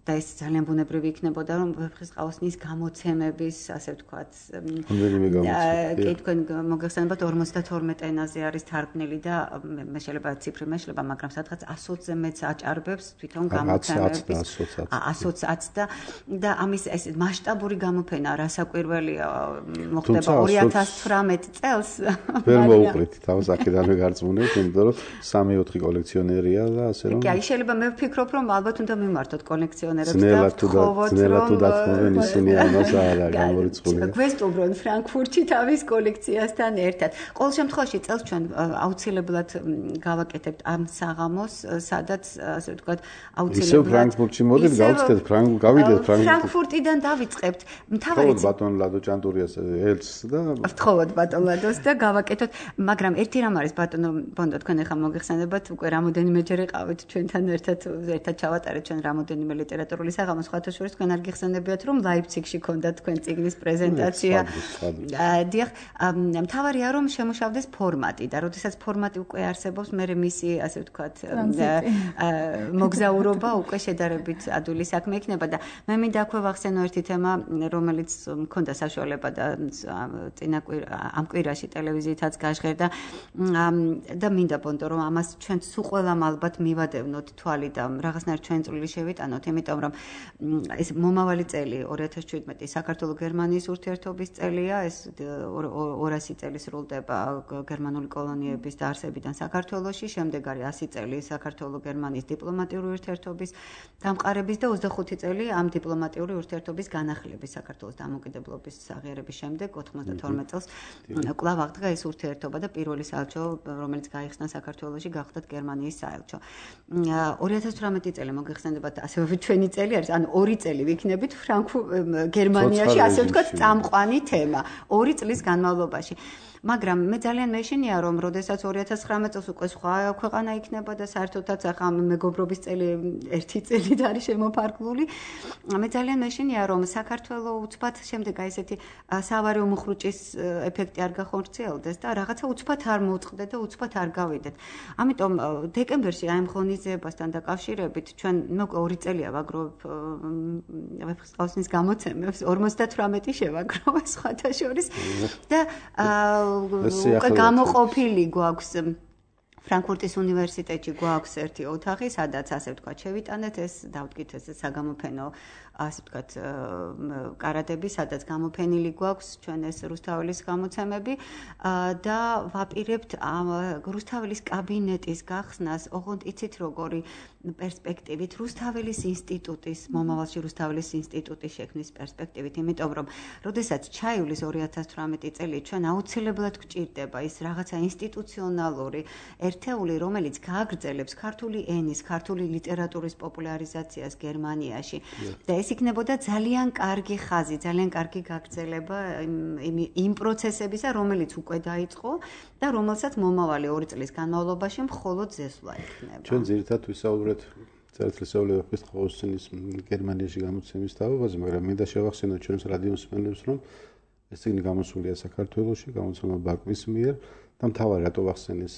და ეს ძალიან ბუნებრივი იქნებოდა რომ ვეფხისტყაოსნის გამოცემების, ასე ვთქვათ, რამდენიმე გამოცემა. კი, თქვენ მოგეხსენებათ 52 ენაზე არის თარგმნილი და მე შეიძლება ციფრი მეშლება, მაგრამ სადღაც 120-ზე მეც აჭარბებს თვითონ გამოცემების 120 და ამის ეს მასშტაბური გამოფენა რასაკვირველია მოხდება 2018 წელს. ვერ მოუყრით თავს აქედანვე გარწმუნებთ, იმიტომ რომ 3-4 კოლექციონერია და ასე რომ. კი, შეიძლება მე ვფიქრობ, რომ ალბათ უნდა მიმართოთ კოლექციონერებს და ძნელად თუ დათმობენ ისინი ამას არა გამორიცხული. გვესტუმრონ ფრანკფურტში თავის კოლექციასთან ერთად. ყოველ შემთხვევაში წელს ჩვენ აუცილებლად გავაკეთებთ ამ საღამოს, სადაც ასე ვთქვათ, აუცილებლად ისევ ფრანკფურტში მოდით, გავწდეთ გავიდეთ ფრანკფურტიდან დავიწყებთ. თავად ბატონ ლადო ჭანტურიას ელჩს და ვთხოვოთ ბატონ ლადოს და გავაკეთოთ, მაგრამ ერთი რამ არის ბატონო ბონდო, თქვენ ახლა მოგეხსენებათ, უკვე რამოდენიმეჯერ ეყავით ჩვენთან ერთად ჩავატარეთ ჩვენ რამოდენიმე ლიტერატურული საღამო, სხვათა შორის თქვენ არ გიხსენებიათ, რომ ლაიფციგში ქონდა თქვენ წიგნის პრეზენტაცია. დიახ, მთავარია რომ შემუშავდეს ფორმატი და როდესაც ფორმატი უკვე არსებობს, მე მისი, ასე ვთქვათ, მოგზაურობა უკვე შედარებით ადვილი საქმე იქნება და მე მინდა აქვე ვახსენო ერთი თემა, რომელიც მქონდა საშუალება და ამ კვირაში ტელევიზიითაც გაჟღერდა და მინდა ბონდო რომ ამას ჩვენ სულ ყველამ ალბათ მივადევნოთ თვალი და რაღაცნაირ ჩვენ წვლილი შევიტანოთ, იმიტომ რომ ეს მომავალი წელი 2017 საქართველო-გერმანიის ურთიერთობის წელია, ეს 200 წელი სრულდება გერმანული კოლონიების დაარსებიდან საქართველოში, შემდეგ არის 100 წელი საქართველო-გერმანიის დიპლომატიური ურთიერთობის დამყარების და 25 წელი ამ დიპლომატიური ურთიერთობის განახლების საქართველოს დამოუკიდებლობის აღიარების შემდეგ 92 წელს კვლავ აღდგა ეს ურთიერთობა და პირველი საელჩო, რომელიც გაიხსნა საქართველოში, გახდათ გერმანიის საელჩო. 2018 წელი მოგეხსენებათ, ასევე ჩვენი წელი არის, ანუ 2 წელი ვიქნებით გერმანიაში, ასე ვთქვათ, წამყვანი თემა 2 წლის განმავლობაში. მაგრამ მე ძალიან მეშინია რომ როდესაც 2019 წელს უკვე სხვა ქვეყანა იქნება და საერთოდაც ახლა მეგობრობის წელი 1 წელით არის შემოფარგლული, მე ძალიან მეშინია რომ საქართველო უცბად შემდეგ აი ესეთი სავარაო მუხრუჭის ეფექტი არ გახორციელდეს და რაღაცა უცბად არ მოწყდეთ და უცბად არ გავიდეთ. ამიტომ დეკემბერში აი ამ ღონისძიებასთან დაკავშირებით ჩვენ მოკლედ 2 წელია ვაგროვებ ვეფხისტყაოსნის გამოცემებს, 58 შევაგროვე სხვათა შორის და უკვე გამოყოფილი გვაქვს ფრანკფურტის უნივერსიტეტში გვაქვს ერთი ოთახი, სადაც ასე ვთქვათ შევიტანეთ ეს დავდგით ეს საგამოფენო ასე ვთქვათ კარადები, სადაც გამოფენილი გვაქვს ჩვენ ეს რუსთაველის გამოცემები და ვაპირებთ რუსთაველის კაბინეტის გახსნას, ოღონდ იცით როგორი პერსპექტივით რუსთაველის ინსტიტუტის, მომავალში რუსთაველის ინსტიტუტის შექმნის პერსპექტივით, იმიტომ რომ როდესაც ჩაივლის 2018 წელი ჩვენ აუცილებლად გვჭირდება ის რაღაცა ინსტიტუციონალური ერთეული, რომელიც გააგრძელებს ქართული ენის, ქართული ლიტერატურის პოპულარიზაციას გერმანიაში და ეს იქნებოდა ძალიან კარგი ხაზი, ძალიან კარგი გაგრძელება იმ პროცესებისა, რომელიც უკვე დაიწყო და რომელსაც მომავალი 2 წლის განმავლობაში მხოლოდ ზესვა იქნება. ჩვენ ძირითადად ვისაუბრეთ წერტილისეული ვეფხისტყაოსნის გერმანიაში გამოცემის თავაზე, მაგრამ მინდა შევახსენოთ ჩვენს რადიო მსმენელებს, რომ ეს წიგნი გამოსულია საქართველოში, გამოცემა ბაკვის მიერ და მთავარი რატო ვახსენეს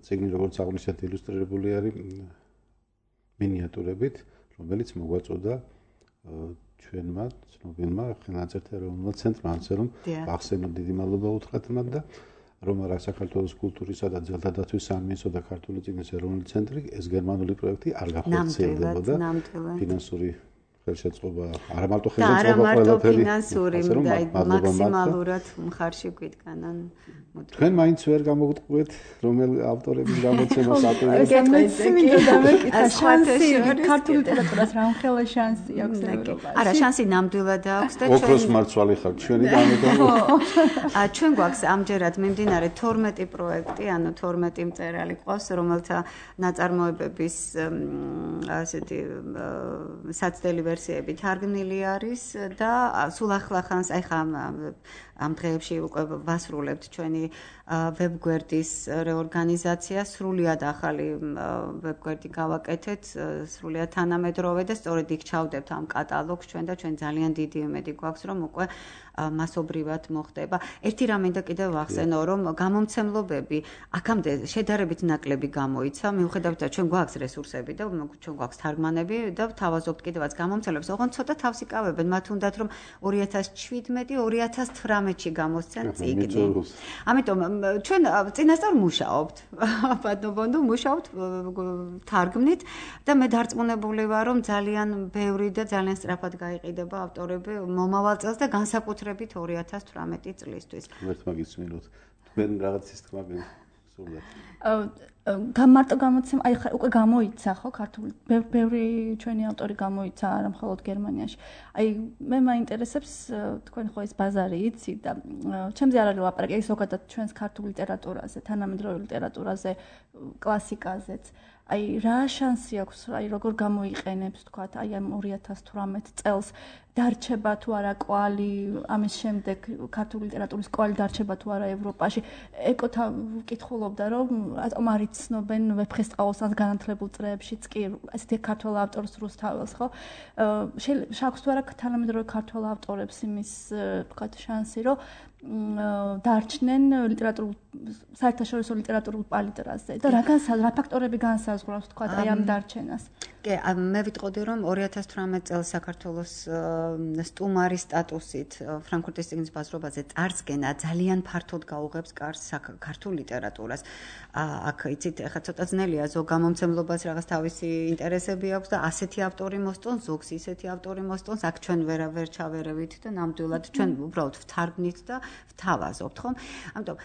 წიგნი როგორც აღნიშნეთ ილუსტრირებული არის მინიატურებით, რომელიც მოგვაწოდა ჩვენმა ცნობილმა ხელნაწერთა ეროვნულმა ცენტრმა, ასე რომ ვახსენოთ, დიდი მადლობა უთხრათ მათ და რომ არა საქართველოს კულტურისა და ძელთა დაცვის სამინისტრო და ქართული წიგნის ეროვნული ცენტრი ეს გერმანული პროექტი არ გახორციელდებოდა ფინანსური ხელშეწყობა არა მარტო ხელშეწყობა ყველაფერი ფინანსური მაქსიმალურად მხარში გვიდგანან თქვენ მაინც ვერ გამოგტყუეთ რომელ ავტორების გამოცემას აპირებთ ქართული ლიტერატურას რამხელა შანსი აქვს არა შანსი ნამდვილად აქვს და ოქროს მარცვალი ხართ ჩვენი ჩვენ გვაქვს ამჯერად მიმდინარე 12 პროექტი ანუ 12 მწერალი ყავს რომელთა ნაწარმოებების ასეთი საცდელი ვერსიები თარგმნილი არის და სულ ახლახანს ახლა ამ დღეებში უკვე ვასრულებთ ჩვენი ვებგვერდის რეორგანიზაცია, სრულიად ახალი ვებგვერდი გავაკეთეთ, სრულიად თანამედროვე და სწორედ იქ ჩავდებთ ამ კატალოგს ჩვენ და ჩვენ ძალიან დიდი იმედი გვაქვს, რომ უკვე მასობრივად მოხდება. ერთი რამ მინდა კიდევ ვახსენო, რომ გამომცემლობები აქამდე შედარებით ნაკლები გამოიცა, მიუხედავად ჩვენ გვაქვს რესურსები და ჩვენ გვაქვს თარგმანები და ვთავაზობთ კიდევაც გამომცემლობები გამომცემლებს ოღონდ ცოტა თავს იკავებენ, მათ უნდათ რომ 2017-2018-ში გამოსცენ წიგნი. ამიტომ ჩვენ წინასწარ მუშაობთ. ბატონო, მუშაობთ თარგმნით და მე დარწმუნებული ვარ, რომ ძალიან ბევრი და ძალიან სწრაფად გაიყიდება ავტორები მომავალ წელს და განსაკუთრებით 2018 წლისთვის. ერთ მაგის მინუთ. თქვენ რაღაც ის თქმა გსურდათ. მარტო გამოცემა, აი ხა უკვე გამოიცა ხო ქართული ბევრი ჩვენი ავტორი გამოიცა არა მხოლოდ გერმანიაში. აი მე მაინტერესებს თქვენ ხო ეს ბაზარი იცით და ჩემზე არ არის ლაპარაკი, ეს ზოგადად ჩვენს ქართულ ლიტერატურაზე, თანამედროვე ლიტერატურაზე, კლასიკაზეც. აი რა შანსი აქვს, აი როგორ გამოიყენებს თქვა აი ამ 2018 წელს დარჩება თუ არა კვალი, ამის შემდეგ ქართული ლიტერატურის კვალი დარჩება თუ არა ევროპაში. ეკოთა ვკითხულობდა რომ რატომ არ იცნობენ ვეფხისტყაოსანს განათლებულ წრეებშიც კი ესეთი ქართულ ავტორს რუსთაველს ხო? შაქვს თუ არა თანამედროვე ქართულ ავტორებს იმის თქვა შანსი რომ დარჩნენ ლიტერატურულ საერთაშორისო ლიტერატურულ პალიტრაზე და რა ფაქტორები განსაზღვრავს თქვა აი ამ დარჩენას. კი, მე ვიტყოდი რომ 2018 წელს საქართველოს სტუმარის სტატუსით ფრანკფურტის წიგნის ბაზრობაზე წარსგენა ძალიან ფართოდ გაუღებს კარს ქართულ ლიტერატურას. აქ იცით, ახლა ცოტა ძნელია ზოგ გამომცემლობას რაღაც თავისი ინტერესები აქვს და ასეთი ავტორი მოსწონს, ზოგს ისეთი ავტორი მოსწონს, აქ ჩვენ ვერ ჩავერევით და ნამდვილად ჩვენ უბრალოდ ვთარგმნით და ვთავაზობთ, ხო? ამიტომ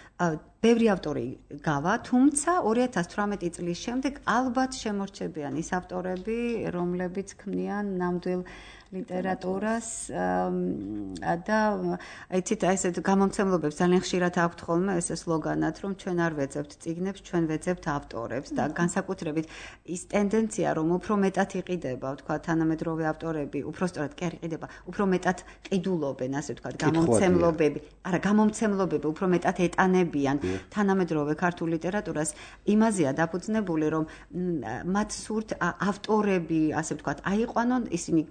ბევრი ავტორი გავა, თუმცა 2018 წლის შემდეგ ალბათ შემორჩებიან ის ავტორები, რომლებიც ქმნიან ნამდვილ ლიტერატურას და აიცით ესეთ გამომცემლობებს ძალიან ხშირად აქვთ ხოლმე ეს სლოგანად რომ ჩვენ არ ვეძებთ წიგნებს, ჩვენ ვეძებთ ავტორებს და განსაკუთრებით ის ტენდენცია რომ უფრო მეტად იყიდება, თქვა თანამედროვე ავტორები, უფრო სწორად კი არ იყიდება, უფრო მეტად ყიდულობენ, ასე თქვა გამომცემლობები. არა, გამომცემლობები უფრო მეტად ეტანებიან თანამედროვე ქართულ ლიტერატურას, იმაზეა დაფუძნებული რომ მათ სურთ ავტორები, ასე თქვა, აიყვანონ ისინი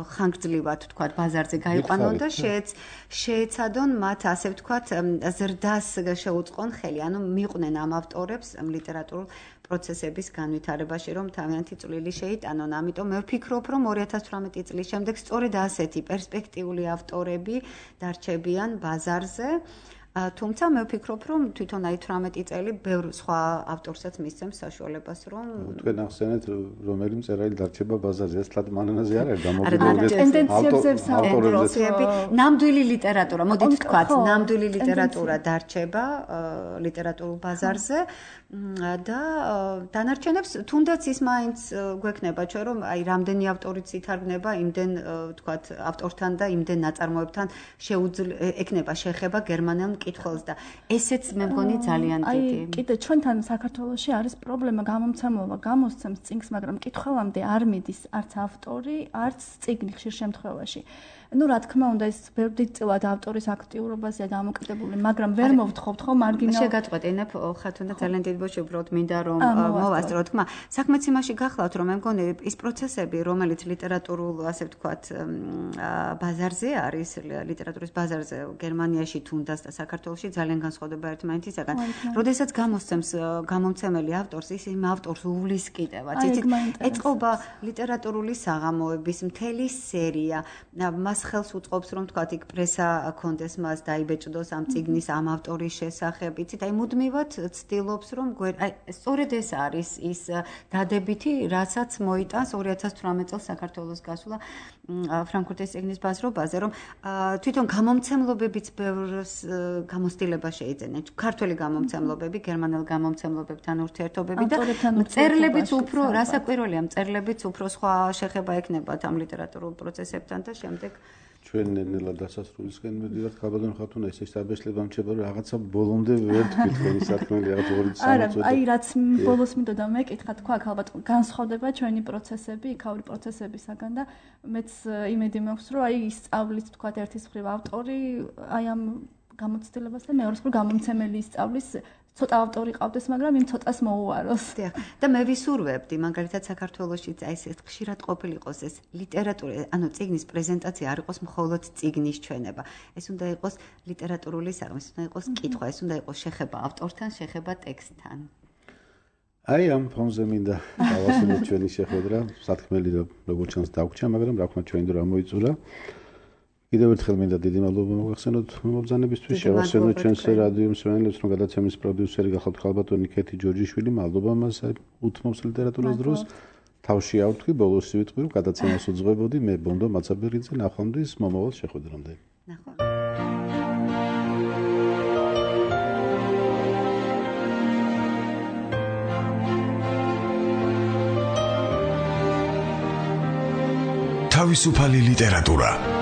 ხანგრძლივად თქვა ბაზარზე გაიყვანონ და შეეცადონ მათ ასე ვთქვათ ზრდას შეუწყონ ხელი, ანუ მიყვნენ ამ ავტორებს ლიტერატურულ პროცესების განვითარებაში, რომ თავიანთი წვლილი შეიტანონ. ამიტომ მე ვფიქრობ, რომ 2018 წლის შემდეგ სწორედ ასეთი პერსპექტიული ავტორები დარჩებიან ბაზარზე. თუმცა მე ვფიქრობ, რომ თვითონ აი 18 წელი ბევრ სხვა ავტორსაც მისცემს საშუალებას, რომ თქვენ ახსენეთ, რომელი მწერალი დარჩება ბაზარზე, ეს თლად მანანაზე არ არის გამოგიდებული ტენდენციებზე ნამდვილი ლიტერატურა, მოდით ვთქვათ, ნამდვილი ლიტერატურა დარჩება ლიტერატურულ ბაზარზე და დანარჩენებს თუნდაც ის მაინც გვექნება ჩვენ, რომ აი რამდენი ავტორიც ითარგმნება, იმდენ ვთქვათ ავტორთან და იმდენ ნაწარმოებთან ექნება შეხება გერმანელ მკითხველს და ესეც მე მგონი ძალიან დიდი. აი კიდე ჩვენთან საქართველოში არის პრობლემა, გამომცემლობა გამოსცემს წიგნს, მაგრამ მკითხველამდე არ მიდის არც ავტორი, არც წიგნი ხშირ შემთხვევაში. ну რა თქმა უნდა ეს ბევრდიწილად ავტორის აქტიურობაზეა დამოკიდებული, მაგრამ ვერ მოვთხოვთ ხო მარგინალ შეგაწყვეტინებ ხათუნ და ძალიან დიდი ბოჭი უბრალოდ მინდა რომ მოვასწრო თქმა. საქმეც იმაში გახლავთ რომ მე მგონი ის პროცესები, რომელიც ლიტერატურულ ასე ვთქვათ ბაზარზე არის, ლიტერატურის ბაზარზე გერმანიაში თუნდაც და საქართველოში ძალიან განსხვავდება ერთმანეთისაგან. როდესაც გამოსცემს გამომცემელი ავტორს, ის იმ ავტორს უვლის კიდევაც. იცით, ეწყობა ლიტერატურული საღამოების მთელი სერია. მას ხელს უწყობს რომ თქვათ იქ პრესა კონდეს მას დაიბეჭდოს ამ წიგნის ამ ავტორის შესახებ. იცით, აი მუდმივად ცდილობს რომ აი სწორედ ეს არის ის დადებითი, რასაც მოიტანს 2018 წელს საქართველოს გასვლა ფრანკფურტის წიგნის ბაზრობაზე, რომ თვითონ გამომცემლობებიც ბევრს გამოცდილება შეიძენენ. ქართველი გამომცემლობები, გერმანელ გამომცემლობებთან ურთიერთობები და მწერლებიც უფრო, რასაკვირველია, მწერლებიც უფრო სხვა შეხება ექნებათ ამ ლიტერატურულ პროცესებთან და შემდეგ ჩვენ ნელა დასასრულისკენ მედივართ ქაბადონ ხათუნა ეს საბეშლება მჩება რომ რაღაცა ბოლომდე ვერ თქვენი სათქმელი რაღაც 2-3 წელი. არა, აი რაც ბოლოს მინდოდა მეკითხა, თქვა ალბათ განსხვავდება ჩვენი პროცესები, იქაური პროცესებისაგან და მეც იმედი მაქვს რომ აი ისწავლის თქვა ერთის მხრივ ავტორი აი ამ გამოცდილებას და მეორეს მხრივ გამომცემელი ისწავლის ცოტა ავტორი ყავდეს, მაგრამ იმ ცოტას მოუაროს. დიახ. და მე ვისურვებდი, მაგალითად საქართველოში აი ეს ხშირად ყოფილიყოს ეს ლიტერატურა, ანუ წიგნის პრეზენტაცია არ იყოს მხოლოდ წიგნის ჩვენება. ეს უნდა იყოს ლიტერატურული საღამო, ეს უნდა იყოს კითხვა, ეს უნდა იყოს შეხება ავტორთან, შეხება ტექსტთან. აი ამ ფონზე მინდა დავასრულოთ ჩვენი შეხვედრა, სათქმელი როგორც ჩანს დაგვრჩა, მაგრამ რა თქმა ჩვენი დრო ამოიწურა. კიდევ ერთხელ მინდა დიდი მადლობა მოგახსენოთ მომბრძანებისთვის, შევახსენოთ ჩვენს რადიო მსმენელებს, რომ გადაცემის პროდიუსერი გახავთ ქალბატონი კეთი ჯორჯიშვილი, მადლობა მას უთმობს ლიტერატურას დროს. თავში ავთქვი, ბოლოს ვიტყვი, რომ გადაცემას უძღვებოდი მე ბონდო მაცაბერიძე, ნახვამდის მომავალ შეხვედრამდე. ნახვამდის. თავისუფალი ლიტერატურა